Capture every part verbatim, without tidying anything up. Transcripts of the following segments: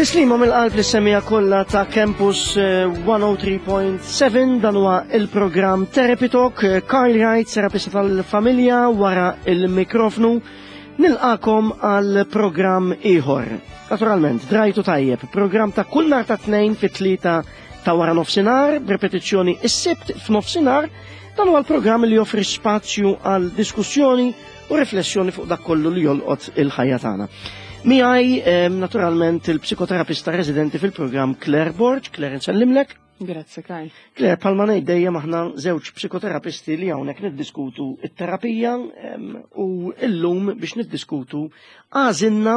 Tislima mill-qalb lis-semmiegħa kollha ta' Campus eh, mija u tlieta punt seba', dan huwa il-programm Therapy Talk. eh, Carl Wright, terapista tal-familja, wara il-mikrofnu, nilqagħkom għal programm ieħor. Naturalment, drajtu tajjeb, programm ta' kull nhar ta' Tnejn fit-tlieta ta' wara nofsinhar, b'repetizzjoni is-Sibt f'nofsinhar. Dan huwa l-programm li joffri spazju għal diskussjoni u riflessjoni fuq dak kollu li jolqot il-ħajja tagħna. Miegħi eh, naturalment il-psikoterapista residenti fil-programm, Claire Borg. Claire, nsellimlek. Grazzi, Karl. Claire, bħalma ngħid dejjem, aħna żewġ psikoterapisti li hawnhekk niddiskutu it-terapija em, u illum biex niddiskutu għażilna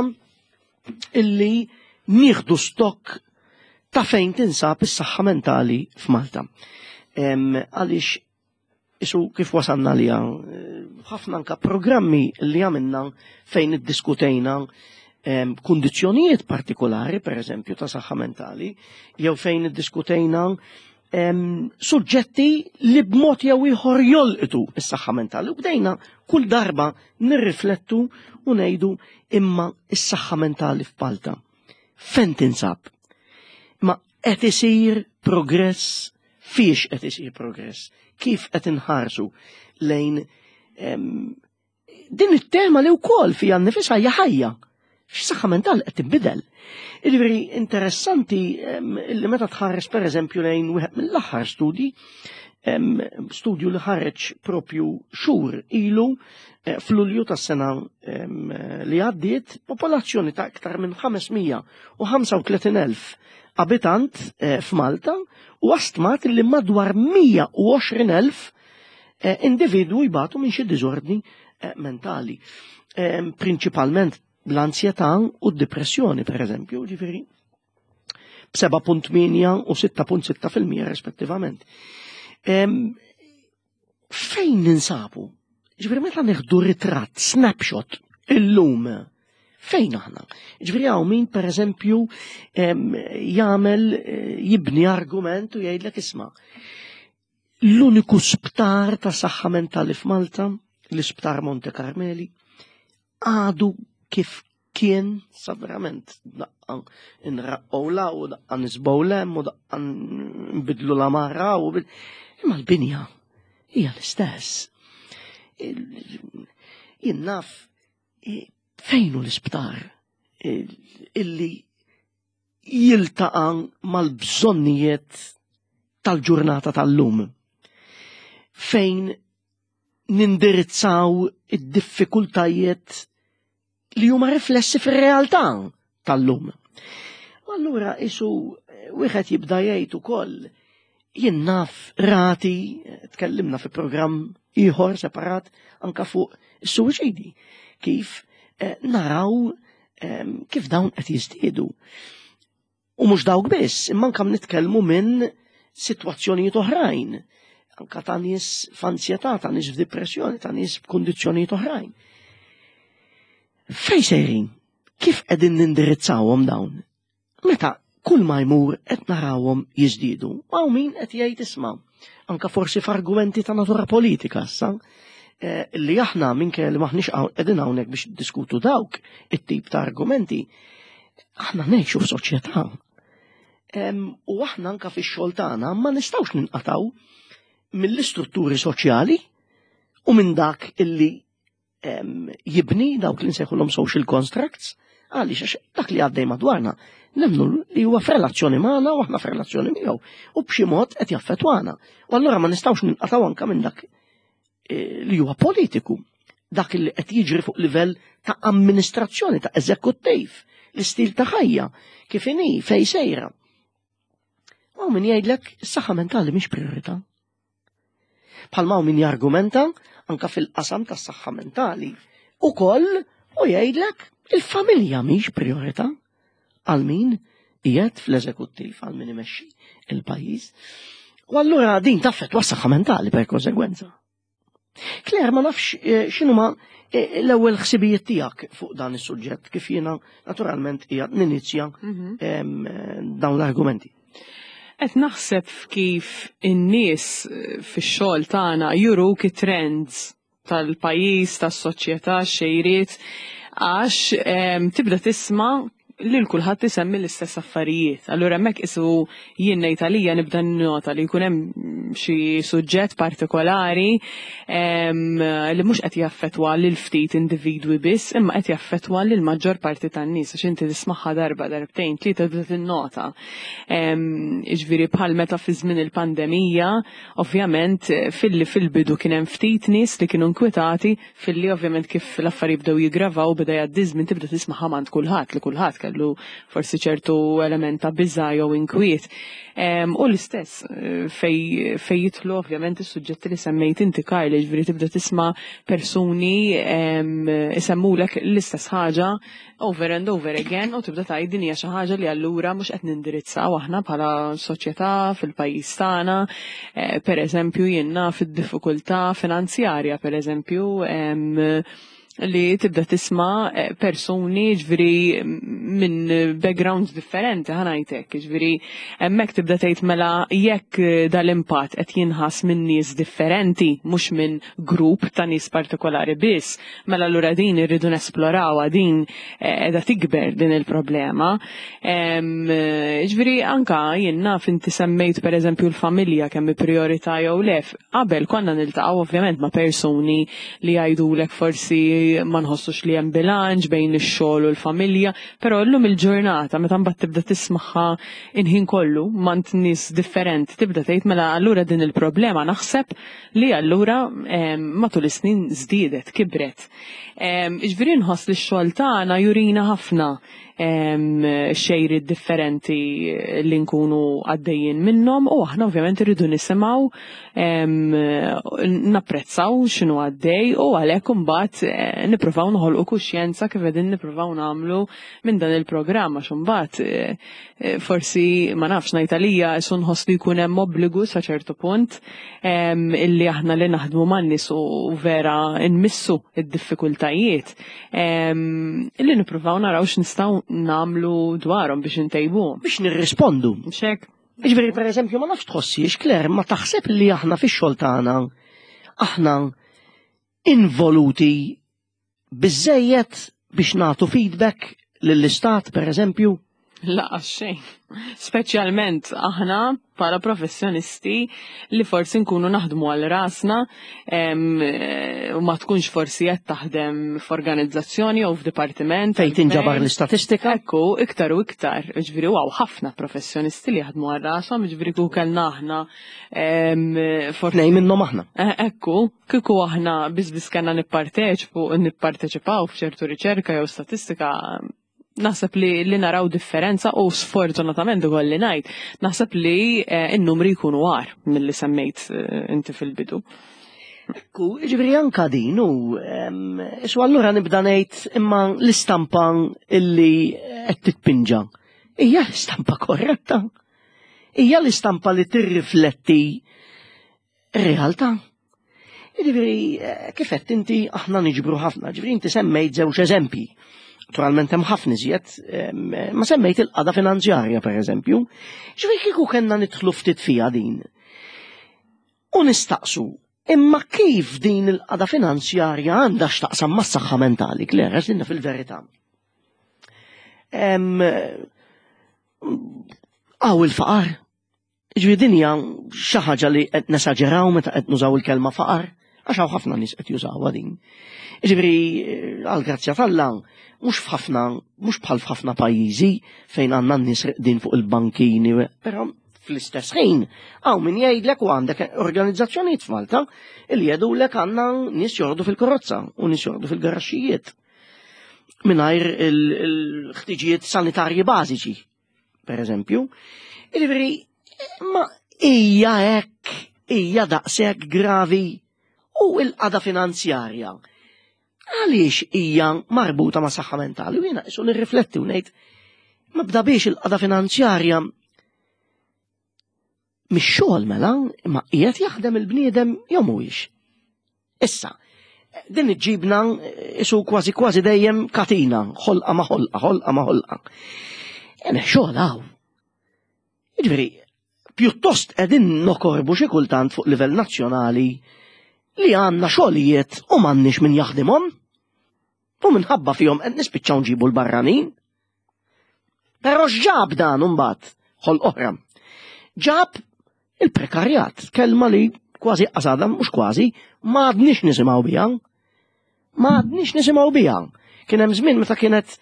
illi nieħdu stock ta' fejn tinsab is-saħħa mentali f'Malta. Em, Għaliex isu kif wasalna li ħafna anka programmi li għamilna fejn iddiskutejna em, kundizzjonijiet partikolari, per eżempju, ta' saħħa mentali, jew fejn iddiskutejna em, suġġetti li b'mod jew ieħor jolqtu is-saħħa mentali. U bdejna kull darba nirriflettu u ngħidu, imma is-saħħa mentali f'Malta fejn tinsab? Ma qed isir progress? Fiex qed isir progress? Kif qed inħarsu lejn em, din it-tema li wkoll fija nnifisha hija ħajja? X'saħħa mentali qed tinbidel. Jiġifieri interessanti em, li meta tħares, per eżempju, lejn wieħed mill-aħħar studji, em, studju li ħareġ propju xhur ilu eh, f'Lulju tas-sena em, li għaddiet, popolazzjoni ta' aktar minn ħames mija u ħamsa u tletin elf abitant eh, f'Malta u stmat li madwar mija u għoxrin elf eh, individwu jbatu minn xi diżordni eh, mentali. Em, Prinċipalment l-ansjetà u d-depressjoni, per eżempju, ġifieri b'seba punt tmienja u sitta punt sitta fil-mija rispettivament. Em, Fejn ninsabu? Ġifieri meta nieħdu ritratt, snapshot, illum, fejn aħna? Ġifieri hawn min, per eżempju, em, jagħmel eh, jibni argument u jgħidlek, isma', l-uniku sptar ta' saħħa mentali f'Malta, l-isptar Monte Carmeli, għadu kif kien sa verament daqqa nraqqgħu 'l hawn u daqqa niżbgħu 'l hemm u daqqa nbidlu l-għamara u bil- imma l-binja hija l-istess. Il- Jien naf eh, fejn hu l-isptar eh, illi jiltaqa' mal-bżonnijiet tal-ġurnata tal-lum, fejn nindirizzaw id-diffikultajiet li huma riflessi fir-realtà tal-lum. U allura isu eh, wieħed jibda jgħid ukoll, jien naf rati, eh, tkellimna fi programm ieħor separat anka fuq is-suwiċidi, kif eh, naraw eh, kif dawn qed jiżdiedu. U mhux dawk biss, imma anka nitkellmu minn sitwazzjonijiet oħrajn, anka ta' nies f'ansjetà, ta' nies f'depressjoni, ta' nies f'kundizzjonijiet oħrajn. Fej sejrin? Kif qegħdin nindirizzawhom dawn? Meta kull ma jmur qed narawhom jiżdiedu. Hawn min qed jgħid, isma', anka forsi f'argumenti ta' natura politika issa, eh, li aħna minkejja li maħniex hawn- qegħdin hawnhekk biex diskutu dawk it-tip ta' argumenti, aħna ngħixu f'soċjetà. Em, U aħna anka fix-xogħol tagħna ma nistgħux ninqataw mill-istrutturi soċjali u minn dak illi em, jibni dawk li nsejħulhom social constructs, għaliex għax dak li għaddej madwarna nemnu li huwa f'relazzjoni magħna u aħna f'relazzjoni miegħu u b'xi mod qed jaffettwana. U allura ma nistgħux ninqataw anka minn dak eh, li huwa politiku, dak li qed jiġri fuq livell ta' amministrazzjoni, ta' eżekuttiv, l-istil ta' ħajja, kif inhi, fej sejra. U min jgħidlek is-saħħa mentali mhix priorità. Bħalma hawn min jargumenta anka fil-qasam tas-saħħa mentali ukoll u jgħidlek il-familja mhix priorità għal min qiegħed fl-eżekuttiv, għal min imexxi il-pajjiż. U allura din taffettwa s-saħħa mentali per konsegwenza. Claire, ma nafx eh, x'inhuma eh, l-ewwel ħsibijiet tiegħek fuq dan is-suġġett, kif jiena naturalment qiegħed ninizja Mhm. em, eh, dawn l-argumenti. Qed naħseb kif in-nies eh, fix-xogħol tagħna juruk it-trends tal-pajjiż, tas-soċjetà, xejriet, għax em, tibda tisma' lil kulħadd isemmi l-istess affarijiet. Allura hemmhekk isu jien ngħid għalija nibda nota li jkun hemm xi suġġett partikolari li mhux qed jaffettwa lil ftit individwi biss, imma qed jaffettwa lil maġġor parti tan-nies għax inti tismagħha darba, darbtejn, tlieta tibda tinnota. Jiġifieri bħal meta fi żmien il-pandemija, ovvjament filli fil-bidu kien hemm ftit nies li kienu nkwetati, filli ovvjament kif l-affarijiet bdew jiggravaw beda jgħaddi żmien tibda tismagħha m'għand kulħadd li kulħadd kellu forsi ċertu element ta' biża' jew inkwiet. U l-istess fej fej jidħlu ovvjament is-suġġetti li semmejt inti Karl, ġifieri tibda tisma' persuni isemmulek l-istess ħaġa over and over again u tibda tgħid din hija xi ħaġa li allura mhux qed nindirizzaw aħna bħala soċjetà fil-pajjiż tagħna. Per eżempju jien naf id-diffikultà finanzjarja, per eżempju, li tibda tisma' persuni ġifieri minn backgrounds differenti ħa ngħidlek, ġifieri hemmhekk tibda tgħid mela jekk dal-impatt qed jinħass minn nies differenti, mhux minn grupp ta' nies partikolari biss, mela allura din irridu nesplorawha, din qiegħda tikber din il-problema. Ġifieri anka jien naf inti semmejt per eżempju l-familja kemm priorità jew le, qabel konna niltaqgħu ovvjament ma' persuni li jgħidulek forsi ma nħossux li hemm bilanċ bejn ix-xogħol u l-familja, però llum il-ġurnata meta mbagħad tibda tismagħha il-ħin kollu m'għand nies differenti tibda tgħid mela allura din il-problema naħseb li allura matul is-snin żdiedet, kibret. Ġifieri nħoss li x-xogħol tagħna jurina ħafna xejri differenti li nkunu għaddejjin minnhom u aħna ovvjament irridu nisimgħu, napprezzaw x'inhu għaddej u għalhekk imbagħad nippruvaw noħolqu kuxjenza kif qegħdin nippruvaw nagħmlu minn dan il-programm għax imbagħad forsi ma nafx ngħid għalija isu nħoss li jkun hemm obbligu sa ċertu punt illi aħna li naħdmu man-nies u vera nmissu id-diffikultajiet illi nippruvaw naraw x'nistgħu nagħmlu dwarhom biex intejbuhom. Biex nirrispondu. Xek. Ġifieri per eżempju ma nafx tħossiex Claire, ma taħseb li aħna fix-xogħol tagħna aħna involuti biżejjed biex nagħtu feedback lill-istat per eżempju? La, xejn. Speċjalment aħna bħala professjonisti li forsi nkunu naħdmu għal rasna u ma tkunx forsi qed taħdem f'organizzazzjoni jew f'dipartiment. Fejn tinġabar l-istatistika? Ekku, iktar u iktar. Ġifieri hawn ħafna professjonisti li jaħdmu għal rashom, ġifieri kieku kellna aħna Tnejn minnhom aħna. Ekku, kieku aħna biss biss kellna nipparteċipu nipparteċipaw f'ċertu riċerka jew statistika, naħseb li, li naraw differenza u sfortunatament ukoll li ngħid, naħseb li n-numri jkunu agħar milli semmejt inti fil-bidu. Ekku, ġifieri anka din u isu allura nibda ngħid imma l-istampa illi qed titpinġa. Hija l-istampa korretta. Hija l-istampa li tirrifletti r-realtà. Ġifieri, kif qed inti aħna niġbru ħafna, ġifieri inti semmejt żewġ eżempji. Naturalment hemm ħafna iżjed, ma semmejt il-qagħda finanzjarja per eżempju. Ġifieri kieku kellna nidħlu ftit fiha din. U nistaqsu, imma kif din il-qagħda finanzjarja għandha x'taqsam mas-saħħa mentali, Claire, għax dinna fil-verità. Hawn il-faqar. Ġifieri din hija xi ħaġa li qed nesaġeraw meta qed nużaw il-kelma faqar, għax hawn ħafna nies qed jużawha din. Ġifieri għall-grazzja t'Alla, mhux f'ħafna, mhux bħal f'ħafna pajjiżi fejn għandna n-nies reqdin fuq il-bankini, però fl-istess ħin hawn min jgħidlek u għandek organizzazzjonijiet f'Malta li jgħidulek għandna nies jorqdu fil-karozza u nies jorqdu fil-garaxxijiet mingħajr il-ħtiġijiet sanitarji bażiċi, per eżempju. Ġifieri, ma hija hekk, hija daqshekk gravi u l-qagħda finanzjarja. Għaliex hija marbuta ma' saħħa mentali? U jiena isu nirrifletti u ngħid, ma bda biex il-qagħda finanzjarja mix-xogħol mela, imma qiegħed jaħdem il-bniedem jew mhuwiex. Issa, din iġġibna isu kważi kważi dejjem katina, ħolqa ma' ħolqa, ħolqa ma' ħolqa. Ene xogħol hawn. Jiġifieri, pjuttost qegħdin nokorbu xi kultant fuq livell nazzjonali li għandna xogħlijiet u m'għandniex min jaħdimhom. U minħabba fihom qed nispiċċaw nġibu l-barranin. Però x'ġab dan imbagħad ħol oħra? Ġab il-prekarjat, kelma li kważi qasada, mhux kważi, ma għadniex nisimgħu biha. Ma għadniex nisimgħu biha. Kien hemm żmien meta kienet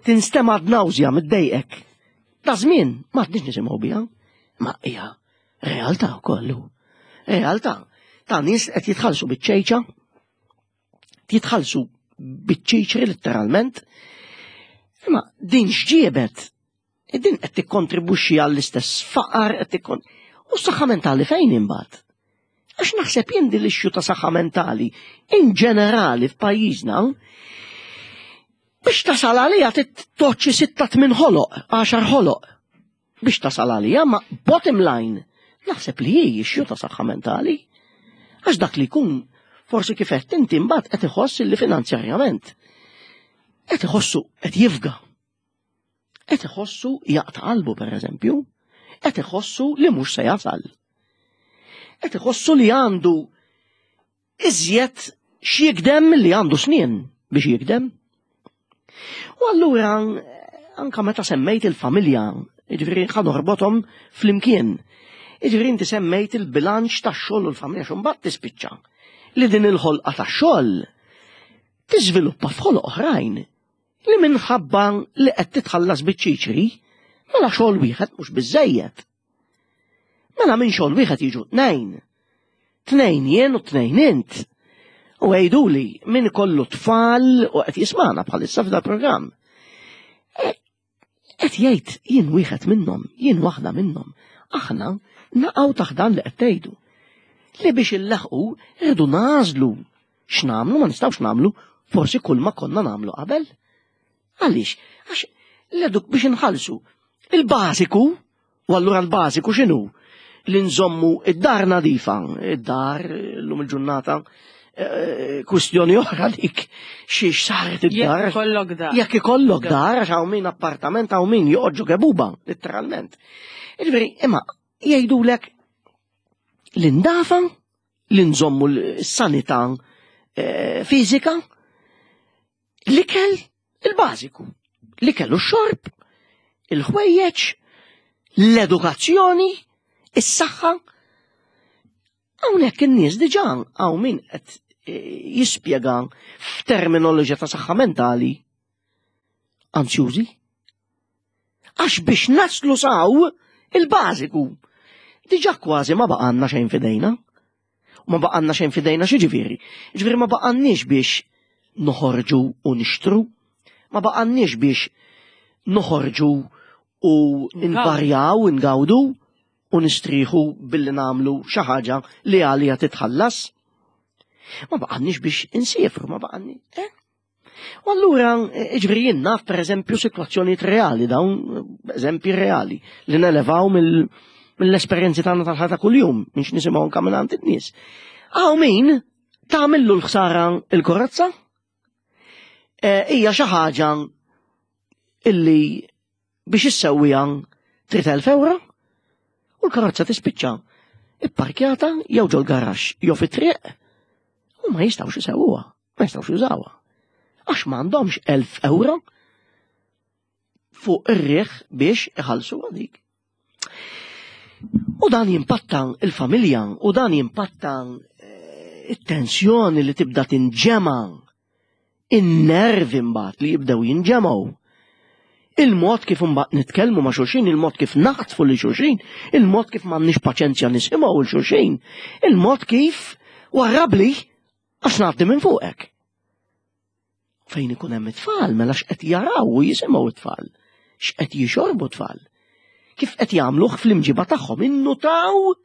tinstema' nawżja middejqek. Ta' żmien ma għadniex nisimgħu biha. Ma hija realtà kollu. Realtà. Ta' nies qed jitħallsu biċ-ċejċa, jitħallsu biċ-ċiċri letteralment. Imma din x'ġiebet? Din qed tikkontribwixxi għall-istess faqar, qed tikkon. U s-saħħa mentali fejn imbagħad? Għax naħseb jien din l-issue ta' saħħa mentali in ġenerali f'pajjiżna biex tasal għalija tittoċċi sitta tmien ħoloq, għaxar ħoloq. Biex tasal għalija, ma bottom line, naħseb li hi issue ta' saħħa mentali. Għax dak li jkun forsi kif qed inti mbagħad qed iħoss li finanzjarjament qed iħossu qed jifga. Qed iħossu jaqta' qalbu pereżempju, qed iħossu li mhux se jasal. Qed iħossu li għandu iżjed x'jikdem milli għandu snien biex jikdem. U allura anka meta semmejt il-familja, jiġifieri ħa norbothom flimkien. Jiġifieri inti semmejt il-bilanċ tax-xogħol u l-familja x'mbagħad tispiċċa. Li din il-ħolqa tax-xogħol tiżviluppa f'ħoloq oħrajn li minħabba li qed titħallas biċ-ċiċri, mela xogħol wieħed mhux biżejjed. Mela minn xogħol wieħed jiġu tnejn. Tnejn jien u tnejn int. U għiduli min kollu tfal u qed jismana bħalissa f'da programm. Qed jgħid jien wieħed minnhom, jien waħda minnhom. Aħna naqgħu taħt dan li qed tgħidu. Li biex illaħqu rridu nagħżlu x'nagħmlu ma nistgħux nagħmlu forsi kull ma konna nagħmlu qabel. Għaliex? Għax l-eduk biex inħallsu il-bażiku, u allura l-bażiku x'inhu? Li nżommu id-dar nadifa, id-dar l-lum il-ġurnata, eh, kwistjoni oħra dik xiex saret id-dar. Jekk ikollok dar. Jekk ikollok dar, għax hawn min appartament hawn min joqgħod kebuba, letteralment. Jiġifieri, imma jgħidulek l-indafa, li nżommu l-sanità eh, fiżika, l-ikel il-bażiku, l-ikel u x-xorb, il-ħwejjeġ, l-edukazzjoni, is-saħħa. Hawnhekk in-nies diġà hawn min qed eh, jispjega f'terminoloġija ta' saħħa mentali anzjużi. Għax biex naslu saw il-bażiku. Diġà kważi ma baqanna xejn fidejna. U ma baqanna xejn fidejna xi ġifieri. Ġifieri ma baqanniex biex noħorġu u nixtru, ma baqanniex biex noħorġu u nvarjaw, ngawdu u nistrieħu billi nagħmlu xi ħaġa li għalija titħallas. Ma baqanniex biex insiefru, ma baqanni. Eh? U allura, ġifieri jien naf per eżempju situazzjonijiet reali, dawn eżempji reali, li nelevaw mill- mill-esperjenzi tagħna tal-ħajja kuljum, mhix nisimgħu anke minn għand in-nies. Hawn min tagħmillu l-ħsara il-karozza? Eh, Hija xi ħaġa illi biex issewwiha trid elf euro u l-karozza tispiċċa ipparkjata jew ġol garaxx jew fit-triq u ma jistgħux isewwuha, ma jistgħux jużawha. Għax m'għandhomx elf euro fuq ir-riħ biex iħallsu dik. U dan jimpatta il-familja, u dan jimpatta eh, it-tensjoni li tibda tinġema, in-nervi mbagħad li jibdew jinġemgħu. Il-mod kif imbagħad nitkellmu ma' xulxin, il-mod kif naħtfu li xulxin, il-mod kif m'għandniex paċenzja nisimgħu 'l xulxin, il-mod kif warrabli għax ngħaddi minn fuqek. Fejn ikun hemm it-tfal, mela x'qed jaraw u jisimgħu it-tfal, x'qed jixorbu t-tfal. Kif qed jagħmluh fl-imġiba tagħhom, innutaw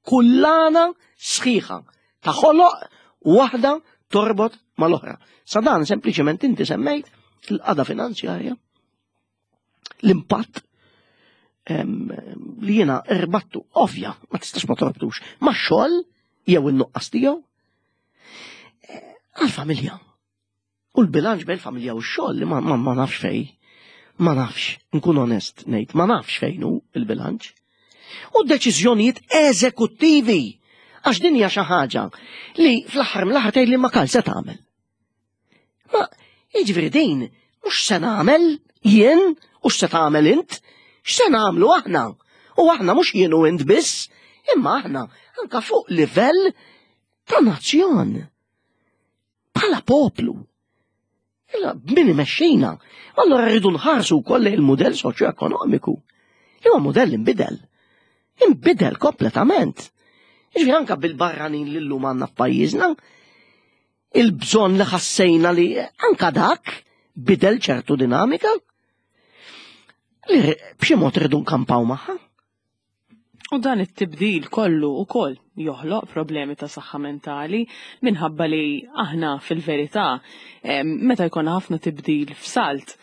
kullana sħiħa ta' ħoloq waħda torbot mal-oħra. Sa dan sempliċement inti semmejt il-qada finanzjarja, l-impatt em, li jiena irbattu ovvja, ma tistax ma torbtux, ma' xogħol jew in-nuqqas tiegħu eh, għal-familja. U l-bilanċ bejn il-familja u x-xogħol li ma, ma, ma nafx fej. Ma nafx, nkun onest ngħid, ma nafx fejn hu il-bilanċ. U deċiżjonijiet eżekuttivi għax din hija xi ħaġa li fl-aħħar mill-aħħar tgħid li ma kal se tagħmel. Ma jiġifieri din mhux se nagħmel Jien u x'se tagħmel int? X'se nagħmlu aħna? U aħna mhux jien u int biss, imma aħna anka fuq livell ta' nazzjon. Bħala poplu. Illa min imexxina. Allora rridu nħarsu wkoll il-mudell soċjo-ekonomiku. Huwa mudell inbidel. Inbidel kompletament. Jiġifieri anka bil-barranin li llum għandna f'pajjiżna, il-bżonn li ħassejna li anka dak bidel ċertu dinamika li b'xi mod rridu nkampaw magħha. U dan it-tibdil kollu u koll joħloq problemi ta' saħħa mentali minħabba li aħna fil-verità meta jkollna ħafna tibdil f'salt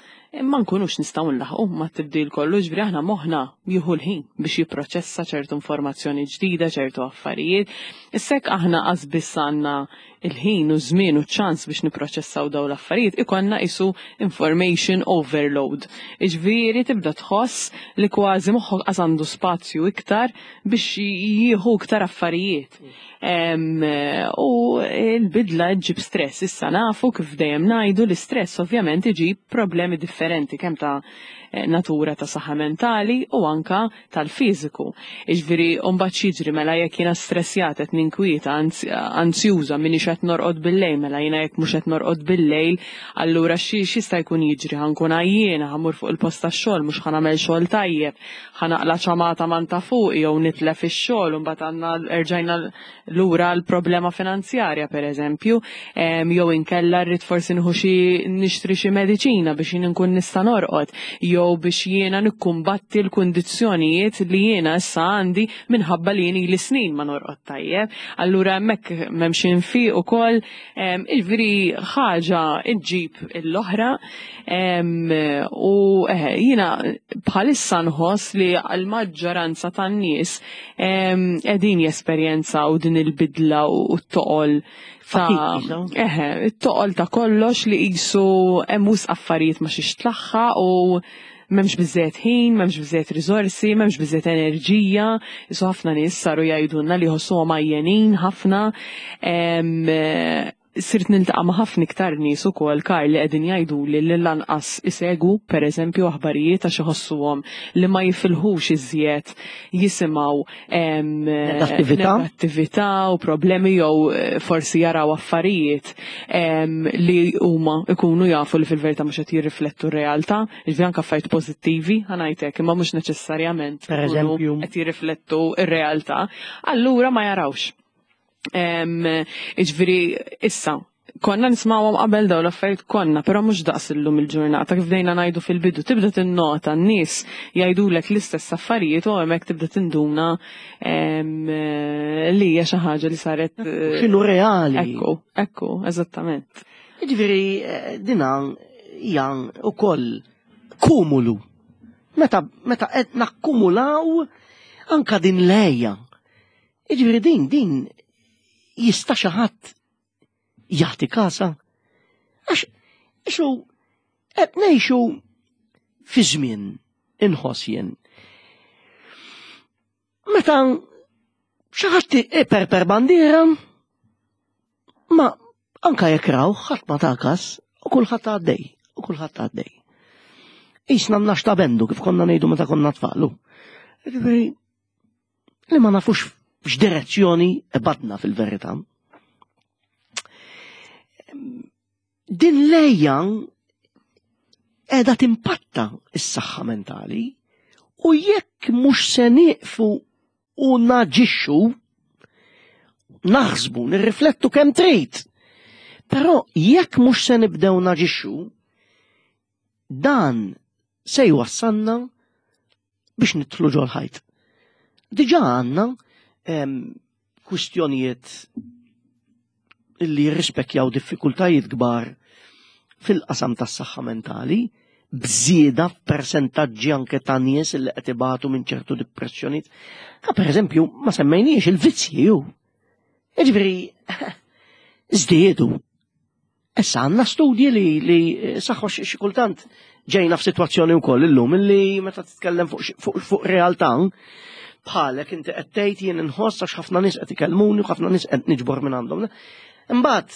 ma nkunux nistgħu nlaħqu ma tibdil kollu, ġifieri aħna moħħna jieħu l-ħin biex jipproċessa ċertu informazzjoni ġdida, ċertu affarijiet. Issa jekk aħna qas biss għandna il-ħin u żmien u ċans biex niproċessaw daw l-affarijiet, ikollna qisu information overload. Iġifieri tibda tħoss li kważi moħħok qas għandu spazju iktar biex jieħu iktar affarijiet. U l-bidla ġib stress. Issa nafu kif dejjem ngħidu l-istress ovvjament iġib problemi differenti kemm ta' natura ta' saħħa mentali u anka tal-fiżiku. Iġifieri mbagħad jiġri mela jekk jiena stressjat qed ninkwieta, anzjuża, minix qed norqod bil-lejl, mela jiena jekk mhux qed norqod bil-lejl, allura x'jista' jkun jiġri, ħa nkun għajjiena, ħa mmur fuq il-post tax-xogħol, mhux ħa nagħmel xogħol tajjeb, ħa naqla' ċamata man ta' fuq jew nitlef ix-xogħol u mbagħad għandna erġajna lura l-problema finanzjarja pereżempju, jew inkella rrid forsi nieħu xi nixtri xi mediċina biex jien nkun nista' norqod, jew biex jiena nikkumbatti l-kundizzjonijiet li jiena issa għandi minħabba li jien ili snin ma norqod tajjeb. Allura hemmhekk m'hemmx infiq ukoll, jiġifieri ħaġa ġġib l-oħra, u jiena bħalissa nħoss li l-maġġoranza tan-nies qegħdin jesperjenzaw din il-bidla u t-toqol ta' eħe, it-toqol ta' kollox li qisu hemm wisq affarijiet ma xiex tlaħħaq u m'hemmx biżżejjed ħin, m'hemmx biżżejjed riżorsi, m'hemmx biżżejjed enerġija. Isu ħafna nies saru jgħidulna li jħossuhom għajjenin ħafna. Sirt niltaqa' ma' ħafna iktar nies ukoll, Karl, li qegħdin jgħiduli li lanqas isegwu pereżempju aħbarijiet għax iħossuhom li ma jifilħux iżjed jisimgħu negattività negattività u problemi jew forsi jaraw affarijiet li huma ikunu jafu li fil-verità mhux qed jirriflettu r-realtà, jiġifieri anke affarijiet pożittivi ħa ngħidlek, imma mhux neċessarjament pereżempju qed jirriflettu r-realtà, allura ma jarawx. Iġifieri issa, konna nismawhom qabel dawn l-affarijiet konna, però mhux daqs illum il-ġurnata, kif bdejna ngħidu fil-bidu, tibda tinnota n-nies jgħidulek l-istess affarijiet u hemmhekk tibda tinduna li hija xi ħaġa li saret x'inhu reali. Ekku, ekku, eżattament. Jiġifieri dina hija wkoll kumulu. Meta meta qed nakkumulaw anka din lejja. Jiġifieri din din jista' xi ħadd jagħti kasa. Għax ixu qed ngħixu fi żmien inħoss jien. Meta xi ħadd iperper bandiera, ma anka jekk raw ħadd ma ta kas u kulħadd għaddej, u kulħadd għaddej. Isna mnax ta' bendu kif konna ngħidu meta konna tfalu. Jiġifieri li ma nafux f'x'direzzjoni badna fil-verità. Din lejja qiegħda timpatta s-saħħa mentali u jekk mhux se nieqfu u naġixxu, naħsbu, nirriflettu kemm trid. Però jekk mhux se nibdew naġixxu, dan se jwassalna biex nidħlu ġol-ħajt. Diġà għandna kwistjonijiet li jirrispekjaw diffikultajiet kbar fil-qasam tas-saħħa mentali, bżieda f'persentaġġi anke ta' nies li qed ibatu minn ċertu depressjonijiet. Ka pereżempju ma semmejniex il-vizzji ju. Jiġifieri żdiedu. Issa għandna studji li, li saħħu xi kultant ġejna f'sitwazzjoni wkoll illum illi meta titkellem fuq fuq, fuq realtà bħalek inti qed tgħid jien inħoss għax ħafna nies qed ikellmuni u ħafna nies qed niġbor minn għandhom. Imbagħad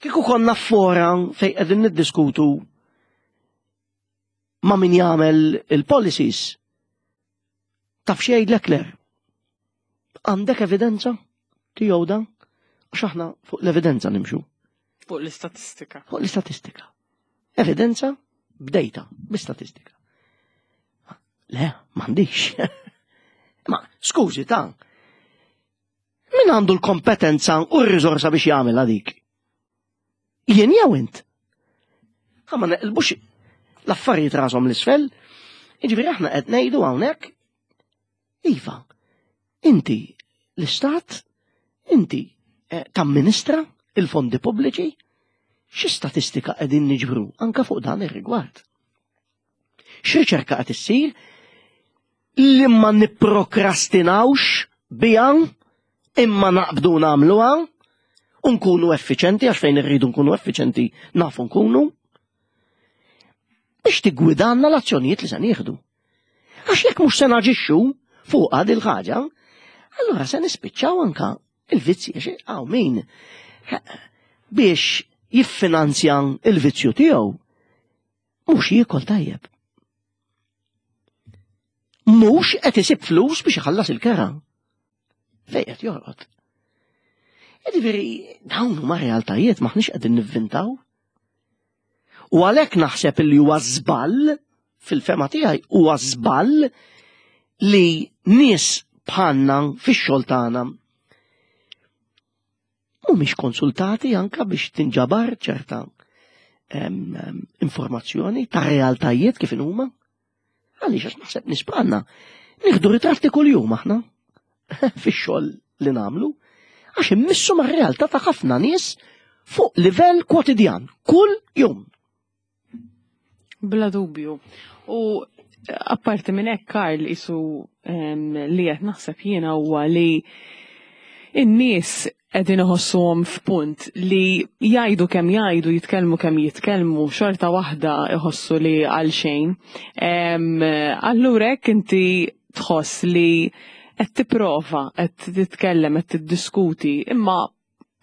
kieku konna fora fejn qegħdin niddiskutu ma' min jagħmel il-policies, taf x'jgħidlek ler. Għandek evidenza tiegħu dan? Għax aħna fuq l-evidenza nimxu. Fuq l-istatistika. Fuq l-istatistika. Evidenza b'data, bi-statistika. Le, m'għandix. Ma, skużi ta' min għandu l-kompetenza u r-riżorsa biex jagħmel dik? Jien jew int? Ħa ma neqilbux l-affarijiet rashom 'l isfel. Jiġifieri aħna qed ngħidu hawnhekk iva, inti l-istat, inti eh, tamministra il-fondi pubbliċi, xi statistika qegħdin niġbru anka fuq dan ir-rigward? X'riċerka qed issir li ma nipprokrastinawx biha imma naqbdu nagħmluha u nkunu effiċenti għax fejn irridu nkunu effiċenti nafu nkunu biex tiggwidanna l-azzjonijiet li se nieħdu. Għax jekk mhux se naġixxu fuq il ħaġa, allura se nispiċċaw anka il-vizzji għax hawn min biex jiffinanzja il-vizzju tiegħu mhux jiekol tajjeb. Mhux qed isib flus biex iħallas il-kera. Fejn qed jorqod. Jiġifieri dawn huma realtajiet m'aħniex qegħdin nivvintaw. U għalhekk naħseb li huwa żball fil-fehma tiegħi huwa żball li nies bħalna fix-xogħol tagħna mhumiex konsultati anka biex tinġabar ċerta em, em, informazzjoni ta' realtajiet kif huma. Għaliex għax naħseb nies bħalna nieħdu ritratti kuljum aħna fix-xogħol li nagħmlu għax immissu mar-realtà ta' ħafna nies fuq livell kwotidjan, kull jum. Bla dubju. U apparti minn hekk Karl isu em, li qed naħseb jiena huwa li in-nies qegħdin iħossuhom f'punt li jgħidu kemm jgħidu, jitkellmu kemm jitkellmu, xorta waħda iħossu li għal xejn. Em, Allura hekk inti tħoss li qed tipprova, qed titkellem, qed tiddiskuti, imma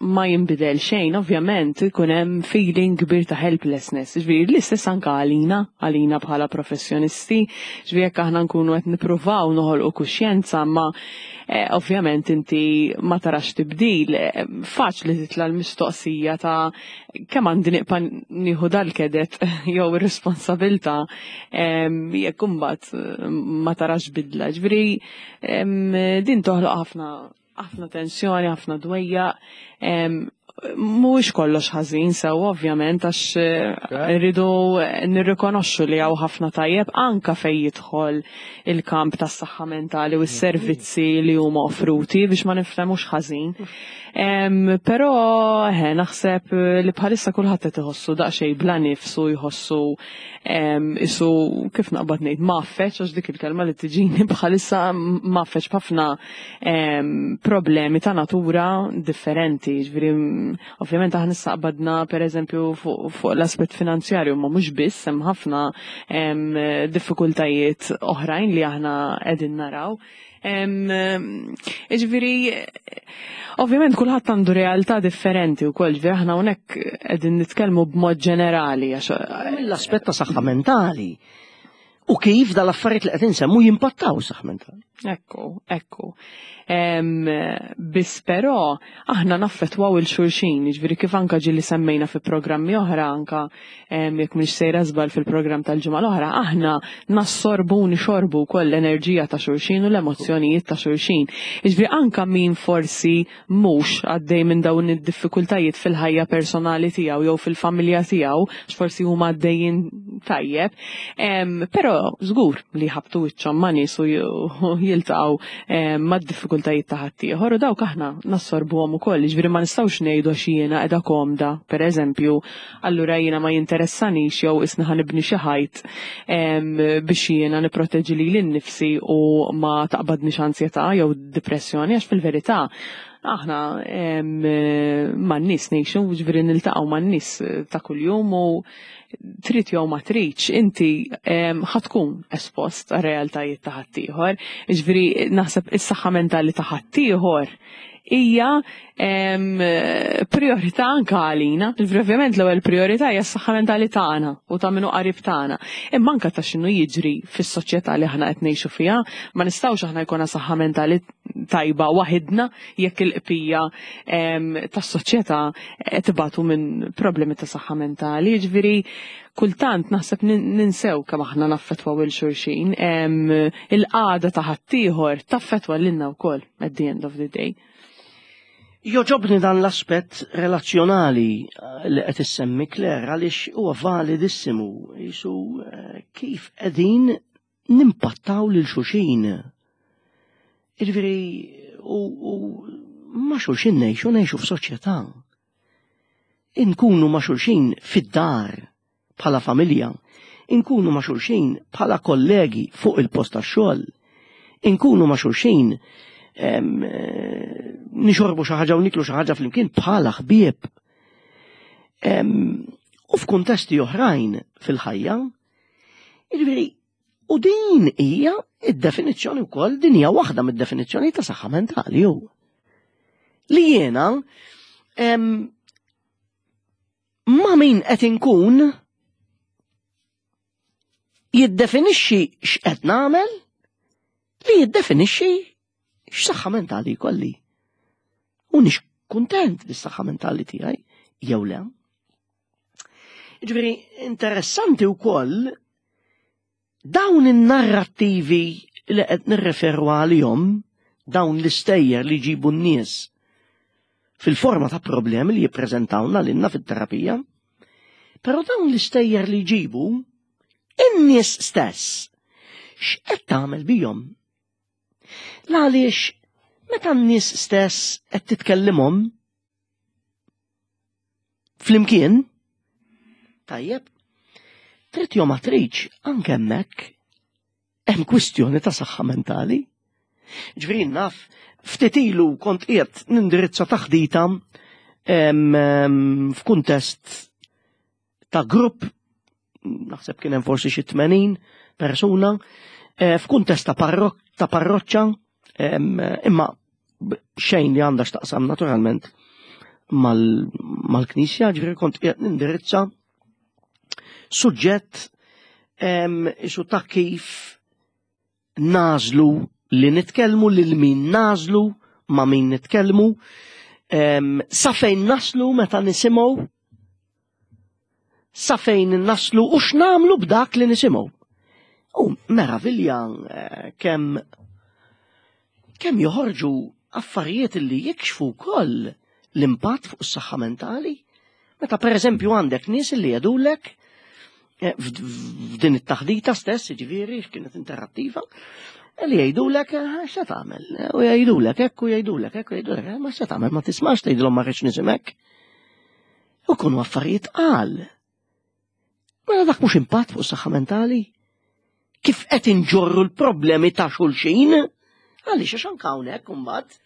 ma jinbidel xejn, ovvjament ikun hemm feeling kbir ta' helplessness. Ġifieri l-istess anka għalina, għalina bħala professjonisti, ġifieri jekk aħna nkunu qed nippruvaw noħolqu kuxjenza, ma eh, ovvjament inti ma tarax tibdil, eh, faċli titla l-mistoqsija ta' kemm għandi nibqa' nieħu dal-kedet jew ir-responsabilità em, jekk imbagħad eh, ma tarax bidla. Ġifieri em, din toħloq ħafna ħafna tensjoni, ħafna dwejja. em, Mhuwiex kollox ħażin sew ovvjament għax eh, rridu nirrikonoxxu li hawn ħafna tajjeb anka fejn jidħol il-kamp tas-saħħa mentali u s-servizzi li huma offruti biex ma nifhmux ħażin. Em, Però eh, naħseb li bħalissa kulħadd qed iħossu daqsxejn bla nifsu jħossu em, isu kif naqbad ngħid maffeċ għax dik il-kelma li tiġini bħalissa maffeċ b'ħafna em, problemi ta' natura differenti. Ġifieri ovvjament aħna issa qbadna pereżempju fuq fuq l-aspett finanzjarju ma mhux biss hemm ħafna em, diffikultajiet oħrajn li aħna qegħdin naraw. Em, Ġifieri, ovvjament kulħadd għandu realtà differenti wkoll, ġifieri aħna hawnhekk qegħdin nitkellmu b'mod ġenerali għax L-aspett ta' saħħa mentali. U kif dal-affarijiet li qed insemmu jimpattaw saħħa mentali. Ekku, ekku. Em, Biss però aħna naffettwaw lil xulxin, ġifieri kif anka ġieli semmejna fi programmi oħra, anka em, jekk mhix sejra żball fil-programm tal-ġimgħa l-oħra, aħna nassorbu u nixorbu wkoll l-enerġija ta' xulxin u l-emozzjonijiet ta' xulxin. Ġifieri anka min forsi mhux għaddej minn dawn id-diffikultajiet fil-ħajja personali tiegħu jew fil-familja tiegħu, għax forsi huma għaddejjin tajjeb, em, però żgur li ħabtu wiċċhom ma' nies u jiltaqgħu em, mad-diffikultajiet ta' ħaddieħor u dawk aħna nassorbuhom ukoll, ġifieri ma nistgħux ngħidu għax jiena qiegħda komda, pereżempju, allura jiena ma jinteressanix jew isna ħa nibni xi ħajt em, biex jiena nipproteġi lili nnifsi u ma taqbadnix ansjetà jew depressjoni għax fil-verità aħna em, man-nies ngħixu, ġifieri niltaqgħu man-nies ta' kuljum u trid jew ma tridx, inti em, ħa tkun espost għar realtajiet ta' ħaddieħor. Ġifieri naħseb is-saħħa mentali ta' ħaddieħor hija priorità anke għalina. Ovvjament l-ewwel priorità hija s-saħħa mentali tagħna u ta' min hu qarib tagħna. Imma anke ta' x'inhu jiġri fis-soċjetà li aħna qed ngħixu fiha, ma nistgħux aħna jkollna saħħa mentali tajba waħidna jekk il-bqija tas-soċjetà qed ibatu minn problemi ta' saħħa mentali. Jiġifieri kultant naħseb ninsew kemm aħna naffettwaw lil xulxin. Il-qagħda ta' ħaddieħor taffettwa lilna wkoll at the end of the day. Jogħġobni dan l-aspett relazzjonali eh, li qed issemmi, Claire, għaliex huwa validissimu jisu eh, kif qegħdin nimpattaw lil xulxin. Jiġifieri u, u ma' xulxin ngħixu ngħixu f'soċjetà. Inkunu ma' xulxin fid-dar bħala familja, inkunu ma' xulxin bħala kollegi fuq il-post tax-xogħol, inkunu ma' xulxin eh, nixorbu xi ħaġa u niklu xi ħaġa flimkien bħala ħbieb. U f'kuntesti oħrajn fil-ħajja, jiġifieri, u din hija id-definizzjoni wkoll, din hija waħda mid-definizzjoni ta' saħħa mentali hu. Li jiena ma' min qed inkun jiddefinixxi x'qed nagħmel, li jiddefinixxi x'saħħa mentali jkolli. U nix kuntent bis-saħħa mentali tiegħi jew le. Ġifieri interessanti wkoll dawn in-narrattivi li qed nirreferu għalihom, dawn l-istejjer li jġibu n-nies fil-forma ta' problemi li jippreżentawna lilna fit-terapija, però dawn l-istejjer li jġibu in-nies stess x'qed tagħmel bihom? Għaliex meta n-nies stess qed titkellimhom flimkien, tajjeb, trid jew ma tridx, anke hemmhekk hemm kwistjoni ta' saħħa mentali. Ġifieri naf, ftit ilu kont qiegħed nindirizza taħdita f'kuntest ta' grupp, naħseb kien hemm forsi xi tmenin persuna, eh, f'kuntest ta' ta' parroċċa, imma xejn li għandha x'taqsam naturalment mal-knisja, ġifieri kont qiegħed nindirizza suġġett isu ta' kif nagħżlu li nitkellmu, lil min nagħżlu, ma' min nitkellmu, sa fejn naslu meta nisimgħu, sa fejn naslu u x'nagħmlu b'dak li nisimgħu. U meravilja eh, kemm kemm joħorġu affarijiet li jikxfu wkoll l-impatt fuq is-saħħa mentali. Meta per eżempju għandek nies li jgħidulek eh, f'din it-taħdita stess, ġifieri kienet interattiva, li jgħidulek eh, x'se tagħmel, u jgħidulek hekk u jgħidulek hekk u jgħidulek ma x'se tagħmel, ma tismax, tgħidilhom ma rridx nisimek. U kunu affarijiet qal. Mela dak mhux impatt fuq is-saħħa mentali? Kif qed inġorru l-problemi ta' xulxin? Għaliex għax anke hawnhekk imbagħad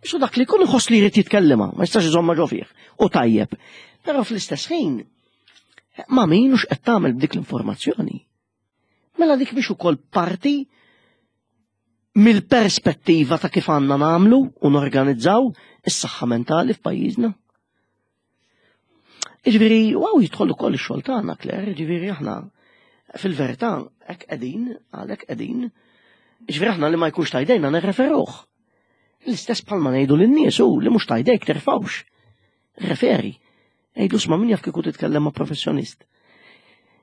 Isu dak li jkun iħoss li jrid jitkellema, ma jistax iżomma ġo fih. U tajjeb. Però fl-istess ħin, ma' min u x'qed tagħmel b'dik l-informazzjoni? Mela dik biex ukoll parti mill-perspettiva ta' kif għandna nagħmlu u norganizzaw is-saħħa mentali f'pajjiżna. Jiġifieri, wow, jidħol ukoll ix-xogħol tagħna, Claire, jiġifieri aħna fil-verità hekk qegħdin, għalhekk qegħdin. Jiġifieri aħna li ma jkunx ta' jdejna nirreferuh. L-istess bħalma ngħidu lin-nies u li mhux ta' jdejk terfawx. Referi. Għidlu isma', min jaf kieku titkellem ma' professjonist.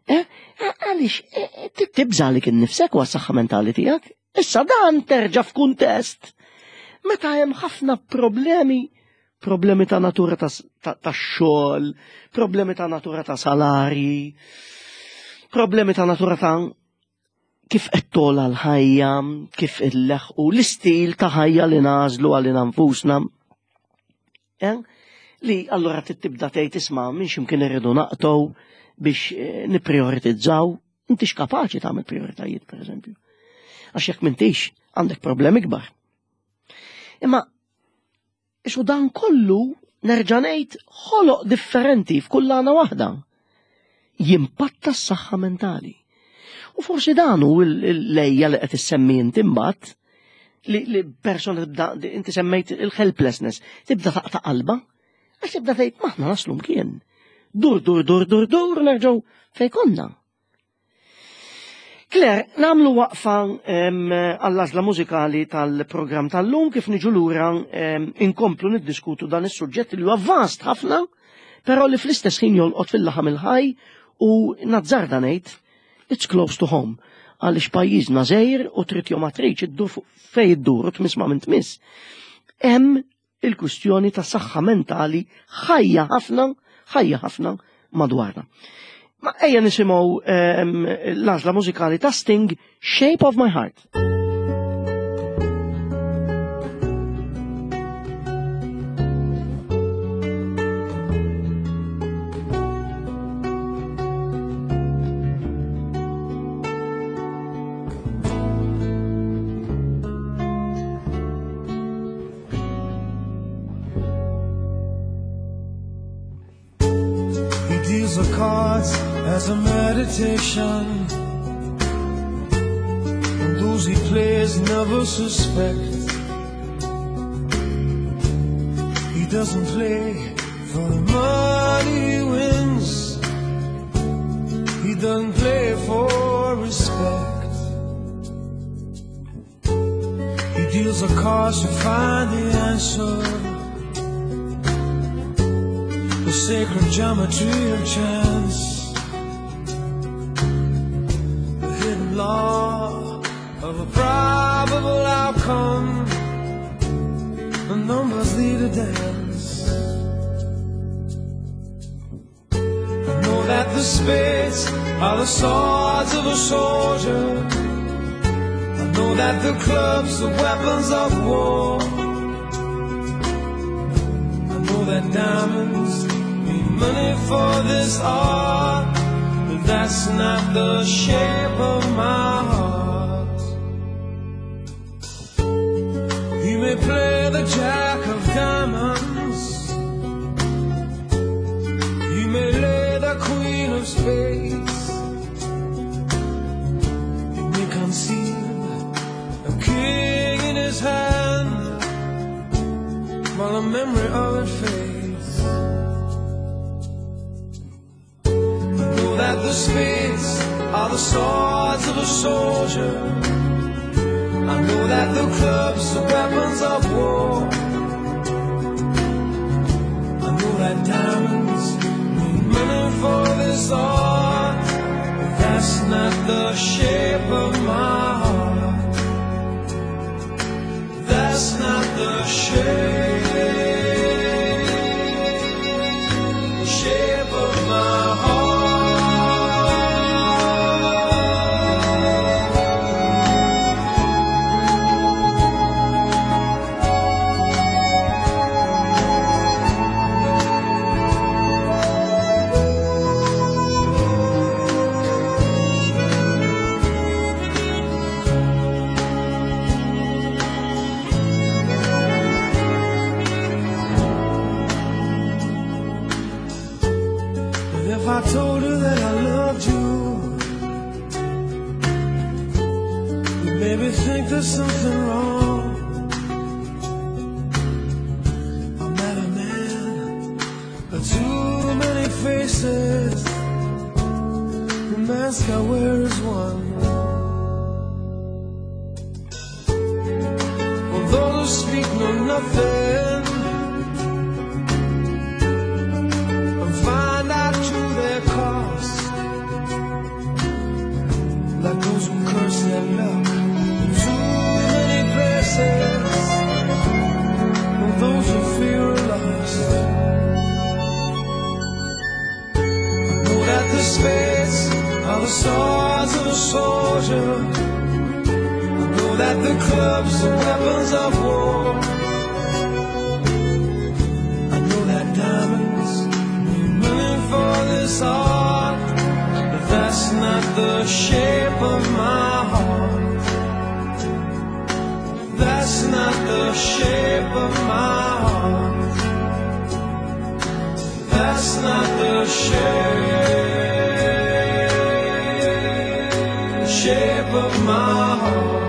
Eh, għaliex, eh, tibża għalik innifsek u għas-saħħa mentali tiegħek. Issa dan terġa' f'kuntest meta hemm ħafna problemi, problemi ta' natura ta' ta' xogħol, problemi ta' natura ta' salari, problemi ta' natura ta' kif qed togħla l-ħajja, kif illeħqu l-istil ta' ħajja li nagħżlu għalina nfusna. Eh? Li allura tibda tgħid isma' minn x'imkien irridu naqtgħu biex eh, nipprioritizzaw. Intix kapaċi tagħmel prioritajiet, pereżempju. Għax jekk m'intix, għandek problemi kbar. Imma ixu dan kollu, nerġa' ngħid, ħoloq differenti f'kull għana waħda. Jimpatta s-saħħa mentali. U forsi dan hu l-lejja li qed issemmi inti imbagħad Li, li persona tibda, inti semmejt il-helplessness, tibda taqta' qalba, għax tibda tgħid m'aħna naslu mkien. Dur, dur, dur, dur, dur, nerġgħu fejn konna. Claire, nagħmlu waqfa għall-għażla mużikali tal-programm tal-lum kif niġu lura inkomplu niddiskutu dan is-suġġett li huwa vast ħafna, però li fl-istess ħin jolqot fil-laħam il-ħaj u nazzarda ngħid it's close to home għaliex pajjiżna żgħir u trid jew ma tridx iddur fejn iddur u tmiss ma' min tmiss. Hemm il-kwistjoni ta' saħħa mentali ħajja ħafna, ħajja ħafna madwarna. Ma ejja nisimgħu l-għażla mużikali ta' Sting, Shape of My Heart. As a meditation, and those he plays never suspect. He doesn't play for the money he wins. He doesn't play for respect. He deals the cards to find the answer, the sacred geometry of chance, law of a probable outcome. The numbers lead a dance. I know that the spades are the swords of a soldier. I know that the clubs are weapons of war. I know that diamonds mean money for this art, but that's not the shape of my heart. He may play the jack of diamonds, he may lay the queen of spades, he may conceal a king in his hand while the memory of it fades. That the spades are the swords of a soldier. I know that the clubs are weapons of war. I know that diamonds mean money for this art, but that's not the shape of my heart. That's not the shape, shape of my heart. I told her that I loved you, you made me think there's something wrong. I met a man with too many faces. The mask I wear is one. Well, those who speak know nothing and find out to their cost, like those who curse their luck in too many places, or those who fear are lost. I know that the spades are the swords of a soldier. I know that the clubs are weapons of war. I know that diamonds mean money for this art, but that's not the shape of my heart. That's not the shape of my heart. That's not the shape, shape of my heart.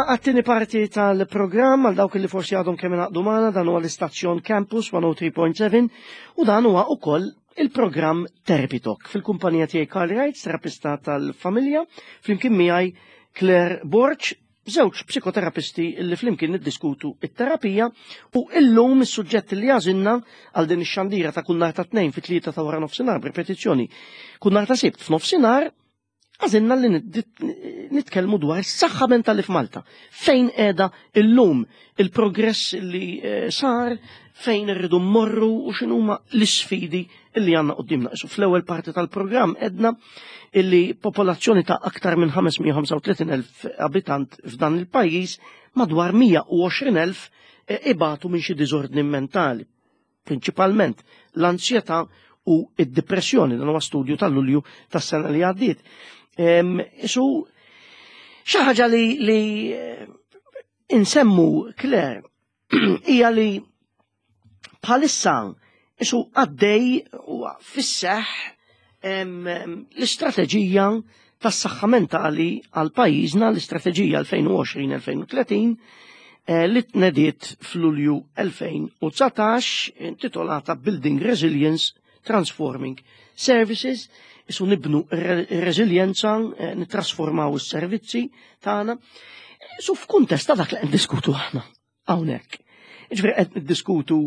Għat-tieni parti tal-programm, għal dawk li forsi għadhom kemm ingħaqdu magħna, dan huwa l-istazzjon Campus mija u tlieta punt seba' u dan huwa ukoll il-programm Therapy Talk. Fil-kumpanija tiegħi Carl Wright, terapista tal-familja, flimkien miegħi Claire Borg, żewġ psikoterapisti li flimkien niddiskutu it-terapija, u illum is-suġġett li għażilna għal din ix-xandira ta' kull nhar ta' Tnejn fit-tlieta ta' wara nofsinhar, b'ripetizzjoni kull nhar ta' Sibt f'nofsinhar, għażilna li nitkellmu dwar is-saħħa mentali f'Malta. Fejn qiegħda illum, il-progress li eh, sar, fejn irridu mmorru u x'inhuma l-isfidi illi għandna qudiemna. Isu fl-ewwel parti tal-programm għedna illi popolazzjoni ta' aktar minn ħames mija u ħamsa u tletin elf abitant f'dan il-pajjiż, madwar mija u għoxrin elf eh, ibatu minn xi diżordni mentali, prinċipalment l-ansjetà u id-depressjoni. Dan huwa studju tal-Lulju tas-sena li għaddiet. Isu xi ħaġa li, li eh, insemmu, Claire, hija li bħalissa isu għaddej u fis-seħ l-istrateġija tas-saħħa mentali għal pajjiżna, l-istrateġija elfejn u għoxrin-elfejn u tletin eh, li tnediet f'Lulju elfejn u dsatax, intitolata Building Resilience, Transforming Services, isu nibnu reżiljenza, eh, nitrasformaw is-servizzi tagħna. Su f'kuntest ta' dak li qed diskutu aħna hawnhekk. Ġifieri qed niddiskutu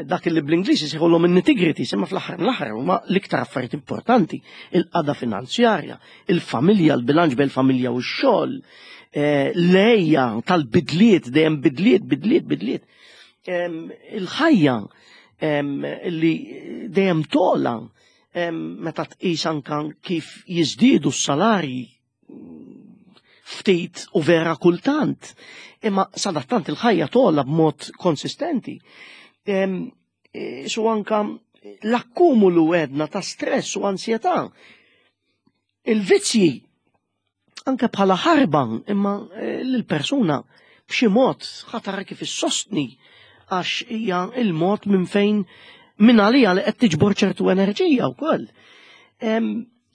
dak li bl-Ingliż jsejħulhom in-nitty-gritty, imma fl-aħħar l-aħħar huma l-iktar affarijiet importanti: il-qagħda finanzjarja, il-familja, l-bilanċ bejn il-familja u x-xogħol, eh, l-ejja tal-bidliet, dejjem bidliet, bidliet, bidliet. Il-ħajja li dejjem tola, meta tqis anka kif jiżdiedu s-salarji ftit u vera kultant. Imma sadattant il-ħajja tola b'mod konsistenti. E, su anka l-akkumulu edna ta' stress u ansjetà. Il-vizzji anka bħala ħarba, imma e, l-persuna b'xi mod ħatara kif issostni għax hija il-mod minn fejn minn għalija li qed tiġbor ċertu enerġija wkoll.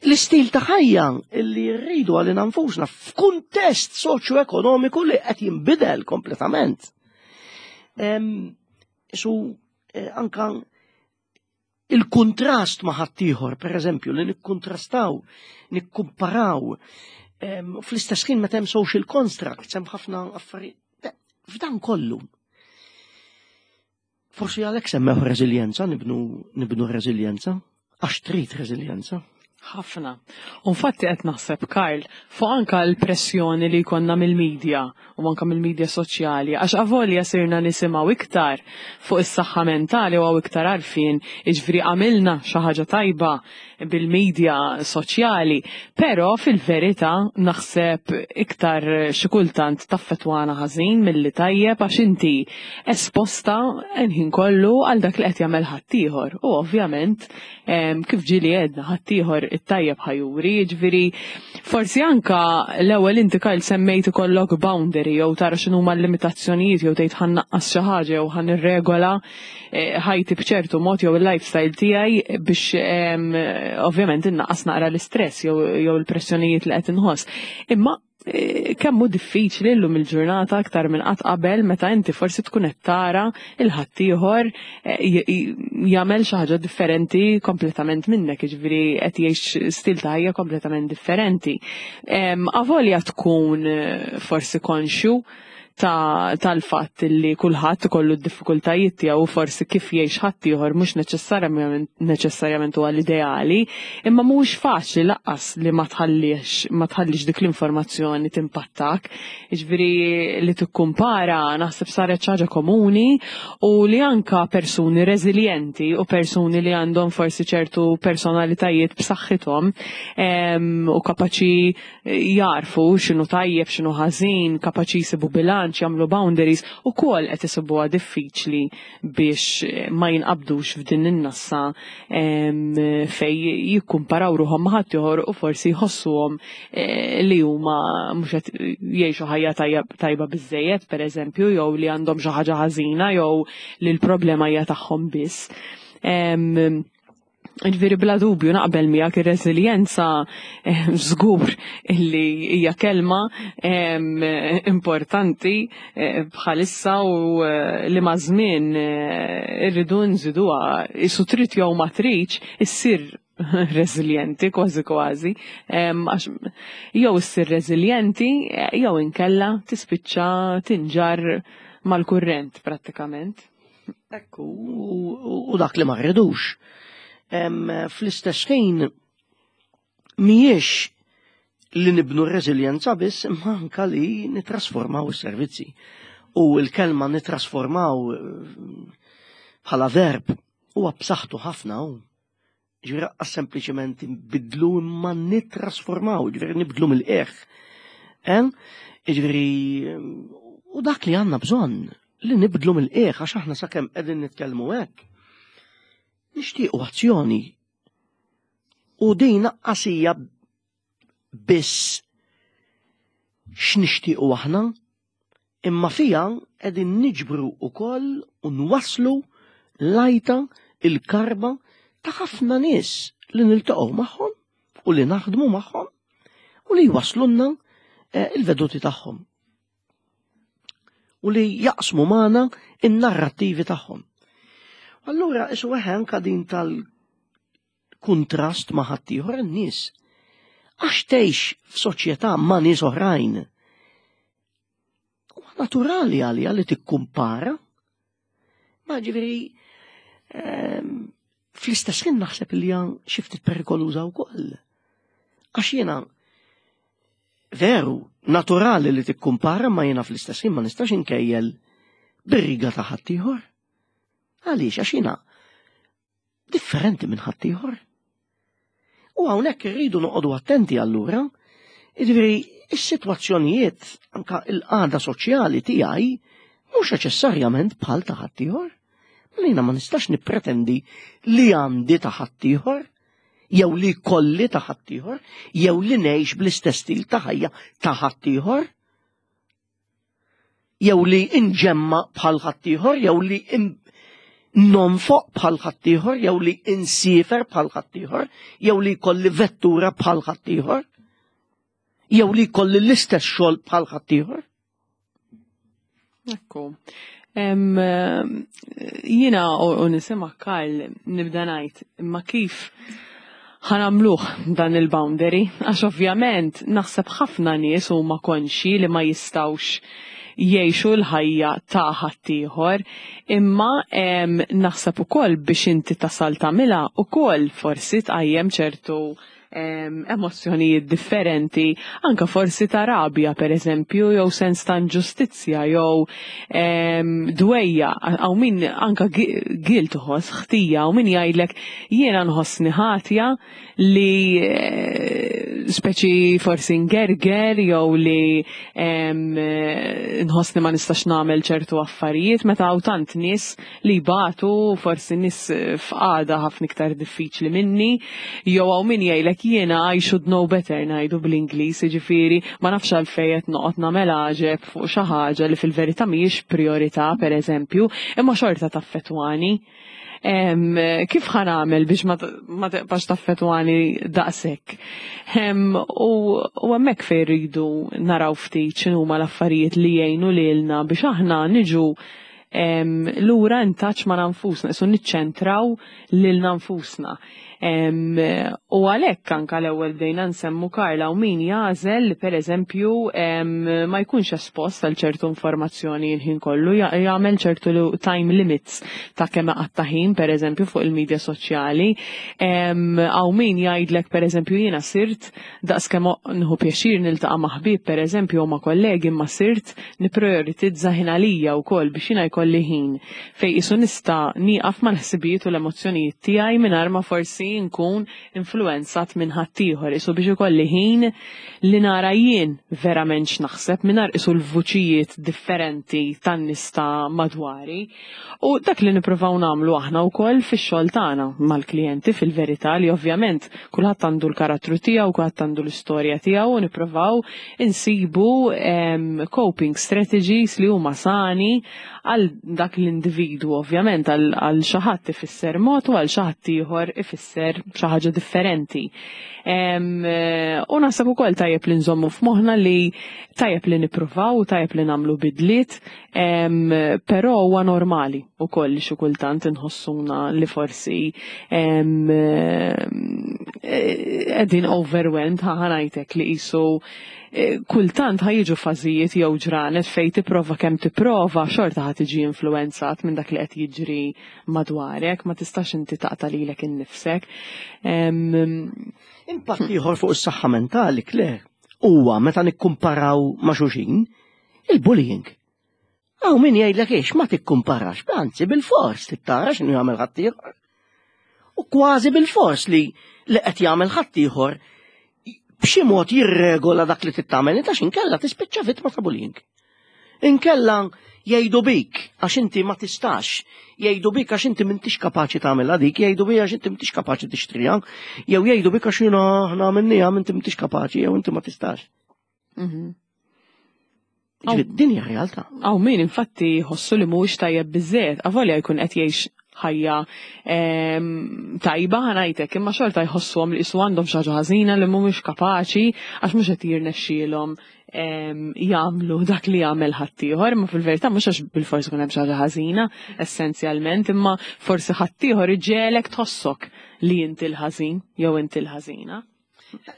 L-istil ta' ħajja li rridu għalina nfusna f'kuntest soċjo-ekonomiku li qed jinbidel kompletament. Su eh, anka il-kontrast ma' ħaddieħor, per eżempju, li nikkontrastaw, nikkumparaw, fl-istess ħin meta hemm social constructs, hemm ħafna affarijiet. F'dan kollu, forsi għalhekk semmew reżiljenza, nibnu, nibnu reżiljenza, għax trid reżiljenza. Ħafna. Infatti qed naħseb, Karl, fuq anka l-pressjoni li jkollna mill-medja u anka mill-medja soċjali, għax avolja sirna nisimgħu iktar fuq is-saħħa mentali u iktar għarfien, jiġifieri għamilna xi ħaġa tajba bil-medja soċjali, però fil-verità naħseb iktar xi kultant taffetwana ħażin milli tajjeb, għax inti esposta l-ħin kollu għal dak li qed jagħmel ħaddieħor. U ovvjament, kif ġieli għedna, ħaddieħor it-tajjeb ħa juri, jiġifieri forsi anka l-ewwel inti, Kyle, semmejt ikollok boundary jew tara x'inhuma l-limitazzjonijiet jew tgħid ħa nnaqqas xi ħaġa jew ħa nirregola eh, ħajti b'ċertu mod jew il-lifestyle tiegħi biex ovvjament innaqqas naqra l-istress jew il-pressjonijiet li qed inħoss. Imma eh, kemm hu diffiċli llum il-ġurnata aktar minn qatt qabel meta inti forsi tkun qed tara il-ħaddieħor eh, jagħmel xi ħaġa differenti kompletament minnek, jiġifieri qed jgħix stil ta' ħajja kompletament differenti. Avolja tkun eh, forsi konxju tal-fatt li kulħadd ikollu d-diffikultajiet tiegħu, forsi kif jgħix ħaddieħor mhux neċessarjament neċessarjament huwa l-ideali, imma mhuwiex faċli lanqas li ma tħallix ma tħallix dik l-informazzjoni timpattak. Jiġifieri li tikkumpara naħseb saret xi ħaġa komuni u li anka persuni reżiljenti u persuni li għandhom forsi ċertu personalitajiet b'saħħithom u kapaċi jarfu x'inhu tajjeb, x'inhu ħażin, kapaċi jsibu bilanċ, jagħmlu boundaries, ukoll qed isibuha diffiċli biex ma jinqabdux f'din in-nassa fej jikkumparaw ruħhom ma' ħaddieħor u forsi jħossuhom eh, li huma mhux qed jgħixu ħajja tajba biżejjed, pereżempju, jew li għandhom xi ħaġa ħażina jew li l-problema hija tagħhom biss. Ġifieri bla dubju naqbel miegħek, ir-reżiljenza żgur illi hija kelma importanti eh, bħalissa u eh, li ma' żmien eh, irridu nżiduha, isu trid jew ma tridx issir reżiljenti kważi kważi, għax jew issir reżiljenti jew inkella tispiċċa tinġar mal-kurrent prattikament. Ekku, u dak li ma rridux. Fl-istess ħin mhijiex li nibnu r-reżiljenza biss, imma anka li nitrasformaw is-servizzi. U l-kelma nitrasformaw eh, bħala verb huwa b'saħħtu ħafna hu. Ġifieri sempliċement nbidlu imma nitrasformaw, ġifieri nibdlu mill-qiegħ. Ġifieri u dak li għandna bżonn li nibdlu mill-qiegħ, għax aħna sakemm qegħdin nitkellmu hekk nixtiequ azzjoni. U din qasija biss x'nixtiequ aħna, imma fija qegħdin niġbru wkoll u nwasslu lajta il-karba ta' ħafna nies li niltaqgħu magħhom u li naħdmu magħhom u li jwaslunna eh, il-veduti tagħhom u li jaqsmu magħna in-narrattivi tagħhom. Allura isu anka din tal-kuntrast ma' ħaddieħor in-nies. Għax tgħix f'soċjetà ma' nies oħrajn. Huwa naturali għalija li tikkumpara. Ma ġifieri ehm, fl-istess ħin naħseb li hija xi ftit perikoluża wkoll. Għax jiena veru naturali li tikkumpara, ma jiena fl-istess ħin ma nistax inkejjel bir-riga ta' ħaddieħor. Għaliex? Għax jiena differenti minn ħaddieħor. U hawnhekk irridu noqogħdu attenti allura, jiġifieri is-sitwazzjonijiet, anka il-qagħda soċjali tiegħi mhux neċessarjament bħal ta' ħaddieħor. Mela jiena ma nistax nippretendi li għandi ta' ħaddieħor, jew li kolli ta' ħaddieħor, jew li ngħix bl-istess stil ta' ħajja ta' ħaddieħor, jew li inġemma bħal ħaddieħor, jew li nonfoq bħal ħaddieħor, jew li insiefer bħal ħaddieħor, jew li jkolli vettura bħal ħaddieħor, jew li jkolli l-istess xogħol bħal ħaddieħor. Ekku. Jiena u nisema' Karl nibda ngħid, imma kif ħa nagħmluh dan il-boundary? Għax ovvjament naħseb ħafna nies huma konxi li ma jistgħux jgħixu l-ħajja ta' ħaddieħor, imma naħseb ukoll biex inti tasal tagħmilha ukoll forsi tqajjem ċertu emozzjonijiet differenti, anka forsi ta' rabja per eżempju, jew sens ta' inġustizzja, jew dwejja, għaw min anka guilt uħoss, ħtija, u min jgħidlek jiena nħossni ħatja li eh, speċi forsi ngerger jew li nħossni ma nistax nagħmel ċertu affarijiet meta hawn tant nies li jbatu, forsi nies f'qagħda ħafna iktar diffiċli minni, jew hawn min jgħidlek jiena I should know better, ngħidu bl-Ingliż, jiġifieri ma nafx għalfejn qed noqgħod nagħmel għaġeb fuq xi ħaġa li fil-verità mhijiex priorità pereżempju, imma xorta taffettwani. Kif ħa nagħmel biex ma tibqax taffettwani daqshekk? U hemmhekk fejn rridu naraw ftit x'inhuma l-affarijiet li jgħinu lilna biex aħna niġu lura in touch ma' nfusna, isu niċċentraw lilna nfusna. U għalhekk anka l-ewwel bdejna nsemmu Karla u min jagħżel li pereżempju ma jkunx espost għal ċertu informazzjoni l-ħin kollu, jagħmel ċertu time limits ta' kemm qatta ħin pereżempju fuq il-medja soċjali. Għaw min jgħidlek pereżempju jiena sirt daqs kemm nħu pjaċir niltaqa' ma' ħbieb pereżempju u ma' kollegi, imma sirt nipprioritizza ħin għalija wkoll biex jiena jkolli ħin fejn isu nista' nieqaf mal-ħsibijiet u l-emozzjonijiet tiegħi mingħajr ma forsi nkun influenzat influenzat minn ħaddieħor, isu biex ikolli ħin li nara jien verament x'naħseb mingħajr isu l-vuċijiet differenti tan-nies ta' madwari. U dak li nippruvaw nagħmlu aħna wkoll fix-xogħol tagħna mal-klijenti, fil-verità, li ovvjament kulħadd għandu l-karattru tiegħu, kulħadd għandu l-istorja tiegħu, u nippruvaw insibu coping strategies li huma sani għal dak l-individwu. Ovvjament għal xi ħadd ifisser mod u għal xi ħadd ieħor ifisser xi ħaġa differenti. U naħseb ukoll tajjeb li nżommu f'moħħna li tajjeb li nippruvaw, tajjeb li nagħmlu bidliet, però huwa normali ukoll li xi kultant inħossuna li forsi qegħdin overwhelmed, ħa ngħidlek, li qisu kultant ħa jiġu fażijiet jew ġranet fej tipprova kemm tipprova, xorta ħa tiġi influenzat minn dak li qed jiġri madwarek, ma tistax inti taqta' lilek innifsek. Impatt ieħor fuq is-saħħa mentali, Claire, huwa meta nikkumparaw ma' xulxin, il-bullying. Hawn min jgħidlek iex ma tikkumparax, anzi bil-fors tittara x'inhu jagħmel ħaddieħor. U kważi bil-fors li li qed jagħmel ħaddieħor b'xi mod jirregola dak li tittamel inta, inkella tispiċċa vittma ta' bullying. Inkella jgħidu bik għax inti ma tistax, jgħidu bik għax inti m'intix kapaċi tagħmel dik, jgħidu bik għax inti m'intix kapaċi tixtriha, jew jgħidu bik għax jiena aħna għamilniha, inti m'intix kapaċi jew inti ma tistax. Mhm. Ġifieri din hija realtà. Hawn min infatti jħossu li mhuwiex tajjeb biżżejjed, avolja jkun qed jgħix ħajja em, tajba, ħa ngħidlek, imma xorta jħossuhom li qisu għandhom xi ħaġa ħażina, li mhumiex kapaċi għax mhux qed jirnexxielhom em, jagħmlu dak li jagħmel ħaddieħor, imma fil-verità mhux għax bilfors ikun hemm xi ħaġa ħażina essenzjalment, imma forsi ħaddieħor iġegħlek tħossok li inti l-ħażin jew inti l-ħażina.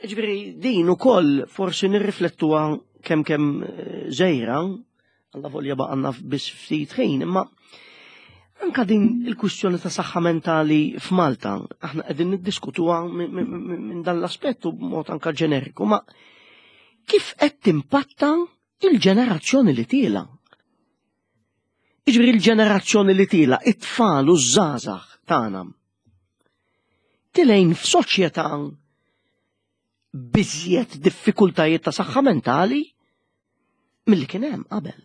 Ġifieri din ukoll forsi nirriflettuha kemm kemm eh, żejra, alla volja baqanna biss ftit ħin, imma anka din il-kwistjoni ta' saħħa mentali f'Malta, aħna qegħdin niddiskutuha minn dan l-aspettu b'mod anka ġeneriku, ma kif qed timpatta il-ġenerazzjoni li tiela? Iġifieri il-ġenerazzjoni li tiela, it-tfal u ż-żgħażagħ tagħna. Tilgħin f'soċjetà b'iżjed diffikultajiet ta' saħħa mentali milli kien hemm qabel.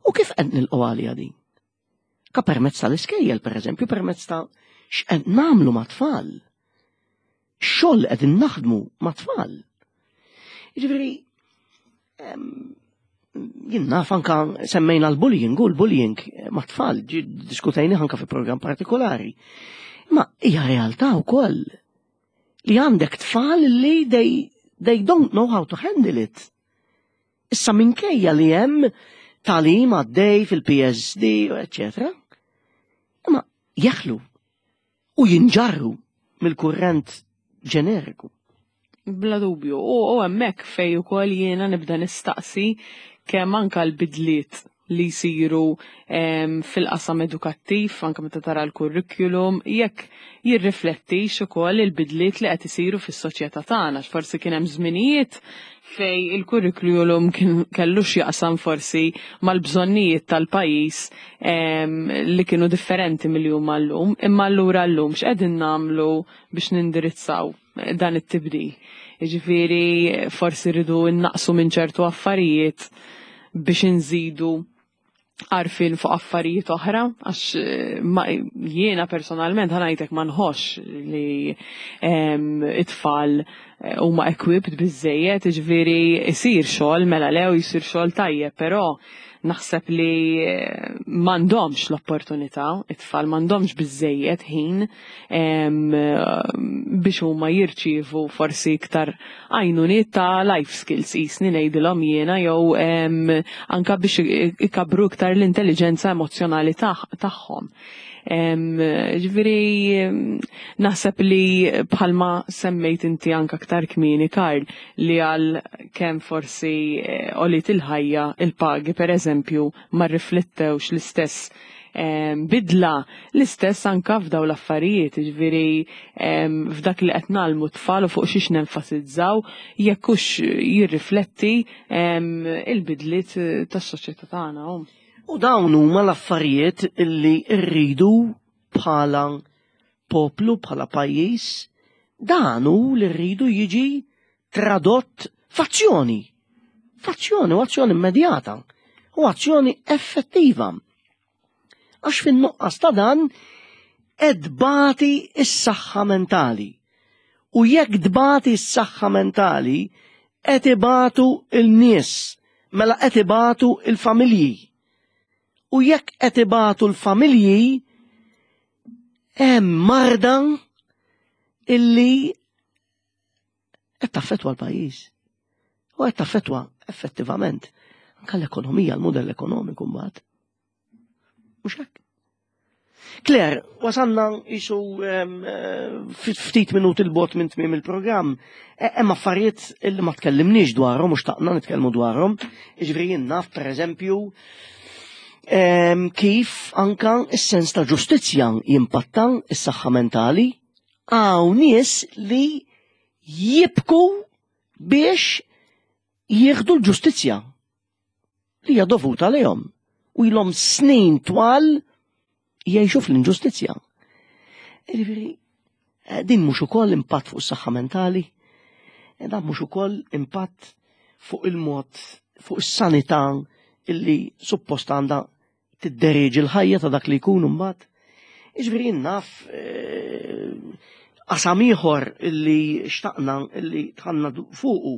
U kif qed nilqgħu għalija din? Ka permezz tal-iskejjel, per eżempju, permezz ta' x'qed nagħmlu ma' tfal. Xogħol qegħdin naħdmu ma' tfal. Jiġifieri jien naf anka semmejna l-bullying, u l-bullying ma' tfal, diskutejni anka fi program partikolari. Ma hija realtà wkoll li għandek tfal li they, they don't know how to handle it. Issa minkejja li hemm tagħlim għaddej fil-P S D, eccetera. Imma jeħlu u jinġarru mill-kurrent ġeneriku. Bla dubju. U hemmhekk fej ukoll jiena nibda nistaqsi kemm anka l-bidliet li jsiru fil-qasam edukattiv, anka meta tara l-kurrikulum, jekk jirriflettix ukoll il-bidliet li qed isiru fis-soċjetà tagħna. Forsi kien hemm żminijiet fej il-kurrikulum kien kellu x'jaqsam forsi mal-bżonnijiet tal-pajjiż li kienu differenti milli huma llum, imma allura llum x'qegħdin nagħmlu biex nindirizzaw dan it-tibdil? Jiġifieri forsi rridu innaqsu minn ċertu affarijiet biex inżidu għarfien fuq affarijiet oħra, għax jiena personalment, ħa ngħidlek, ma nħoss li it-tfal eh, huma equipped biżejjed, ġifieri isir xogħol, mela lew jisir xogħol tajjeb, però naħseb li eh, m'għandhomx l-opportunità, it-tfal m'għandhomx biżejjed ħin biex huma jirċievu forsi iktar għajnuniet ta' life skills, jisni ngħidilhom jiena, jew anka biex ikabru iktar l-intelligenza emozjonali tagħhom. Ġifieri, naħseb li bħalma semmejt inti anka aktar kmieni, Karl, li għal kemm forsi eh, għoliet il-ħajja, il-pagi per eżempju ma riflettewx l-istess bidla, l-istess anka f'daw l-affarijiet, ġifieri f'dak li qed ngħallmu tfal u fuq xiex nenfasizzaw, jekk hux jirrifletti il-bidliet tas-soċjetà tagħna. U dawn huma l-affarijiet illi rridu bħala poplu, bħala pajjiż. Dan hu li rridu jiġi tradott f'azzjoni. F'azzjoni u azzjoni immedjata u azzjoni effettiva. Għax fin-nuqqas ta' dan qed tbati s-saħħa mentali. U jekk tbati s-saħħa mentali, qed ibatu il-nies, mela qed ibatu il-familji. U jekk qed ibatu l-familji, hemm marda illi qed taffettwa l-pajjiż. U qed taffettwa effettivament anke l-ekonomija, l-modell ekonomiku mbagħad. Mhux hekk? Claire, wasanna isu ftit minuti 'l bogħod minn tmiem il-programm. E, hemm affarijiet illi ma tkellimniex dwarhom u xtaqna nitkellmu dwarhom. Jiġifieri jien naf pereżempju kif anka is-sens ta' ġustizzja jimpatta s-saħħa mentali. Hawn nies li jibku biex jieħdu l-ġustizzja li hija dovuta lejhom u ilhom snin twal jgħixu fl-inġustizzja. Jiġifieri, eh, din mhux ukoll impatt fuq is-saħħa mentali, eh, dan mhux ukoll impatt fuq il-mod, fuq is-sanità illi suppost għandha tidderieġi l-ħajja ta' dak li jkun imbagħad. Jiġifieri jien naf eh, qasam ieħor illi xtaqna illi tħanna fuqu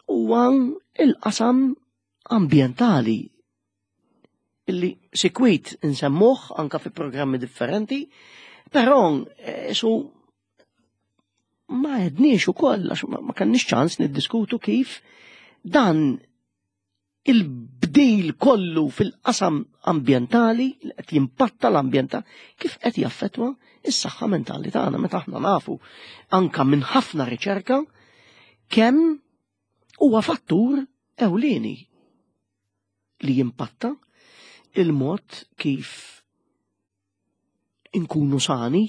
huwa il-qasam ambjentali illi sikwit nsemmuh anka fi programmi differenti, però eh, su ma għedniex ukoll għax ma kellniex ċans niddiskutu kif dan il-bdil kollu fil-qasam ambjentali li qed jimpatta l-ambjenta kif qed jaffettwa is-saħħa mentali tagħna meta aħna nafu anka minn ħafna riċerka kemm huwa fattur ewlieni li jimpatta il-mod kif inkunu sani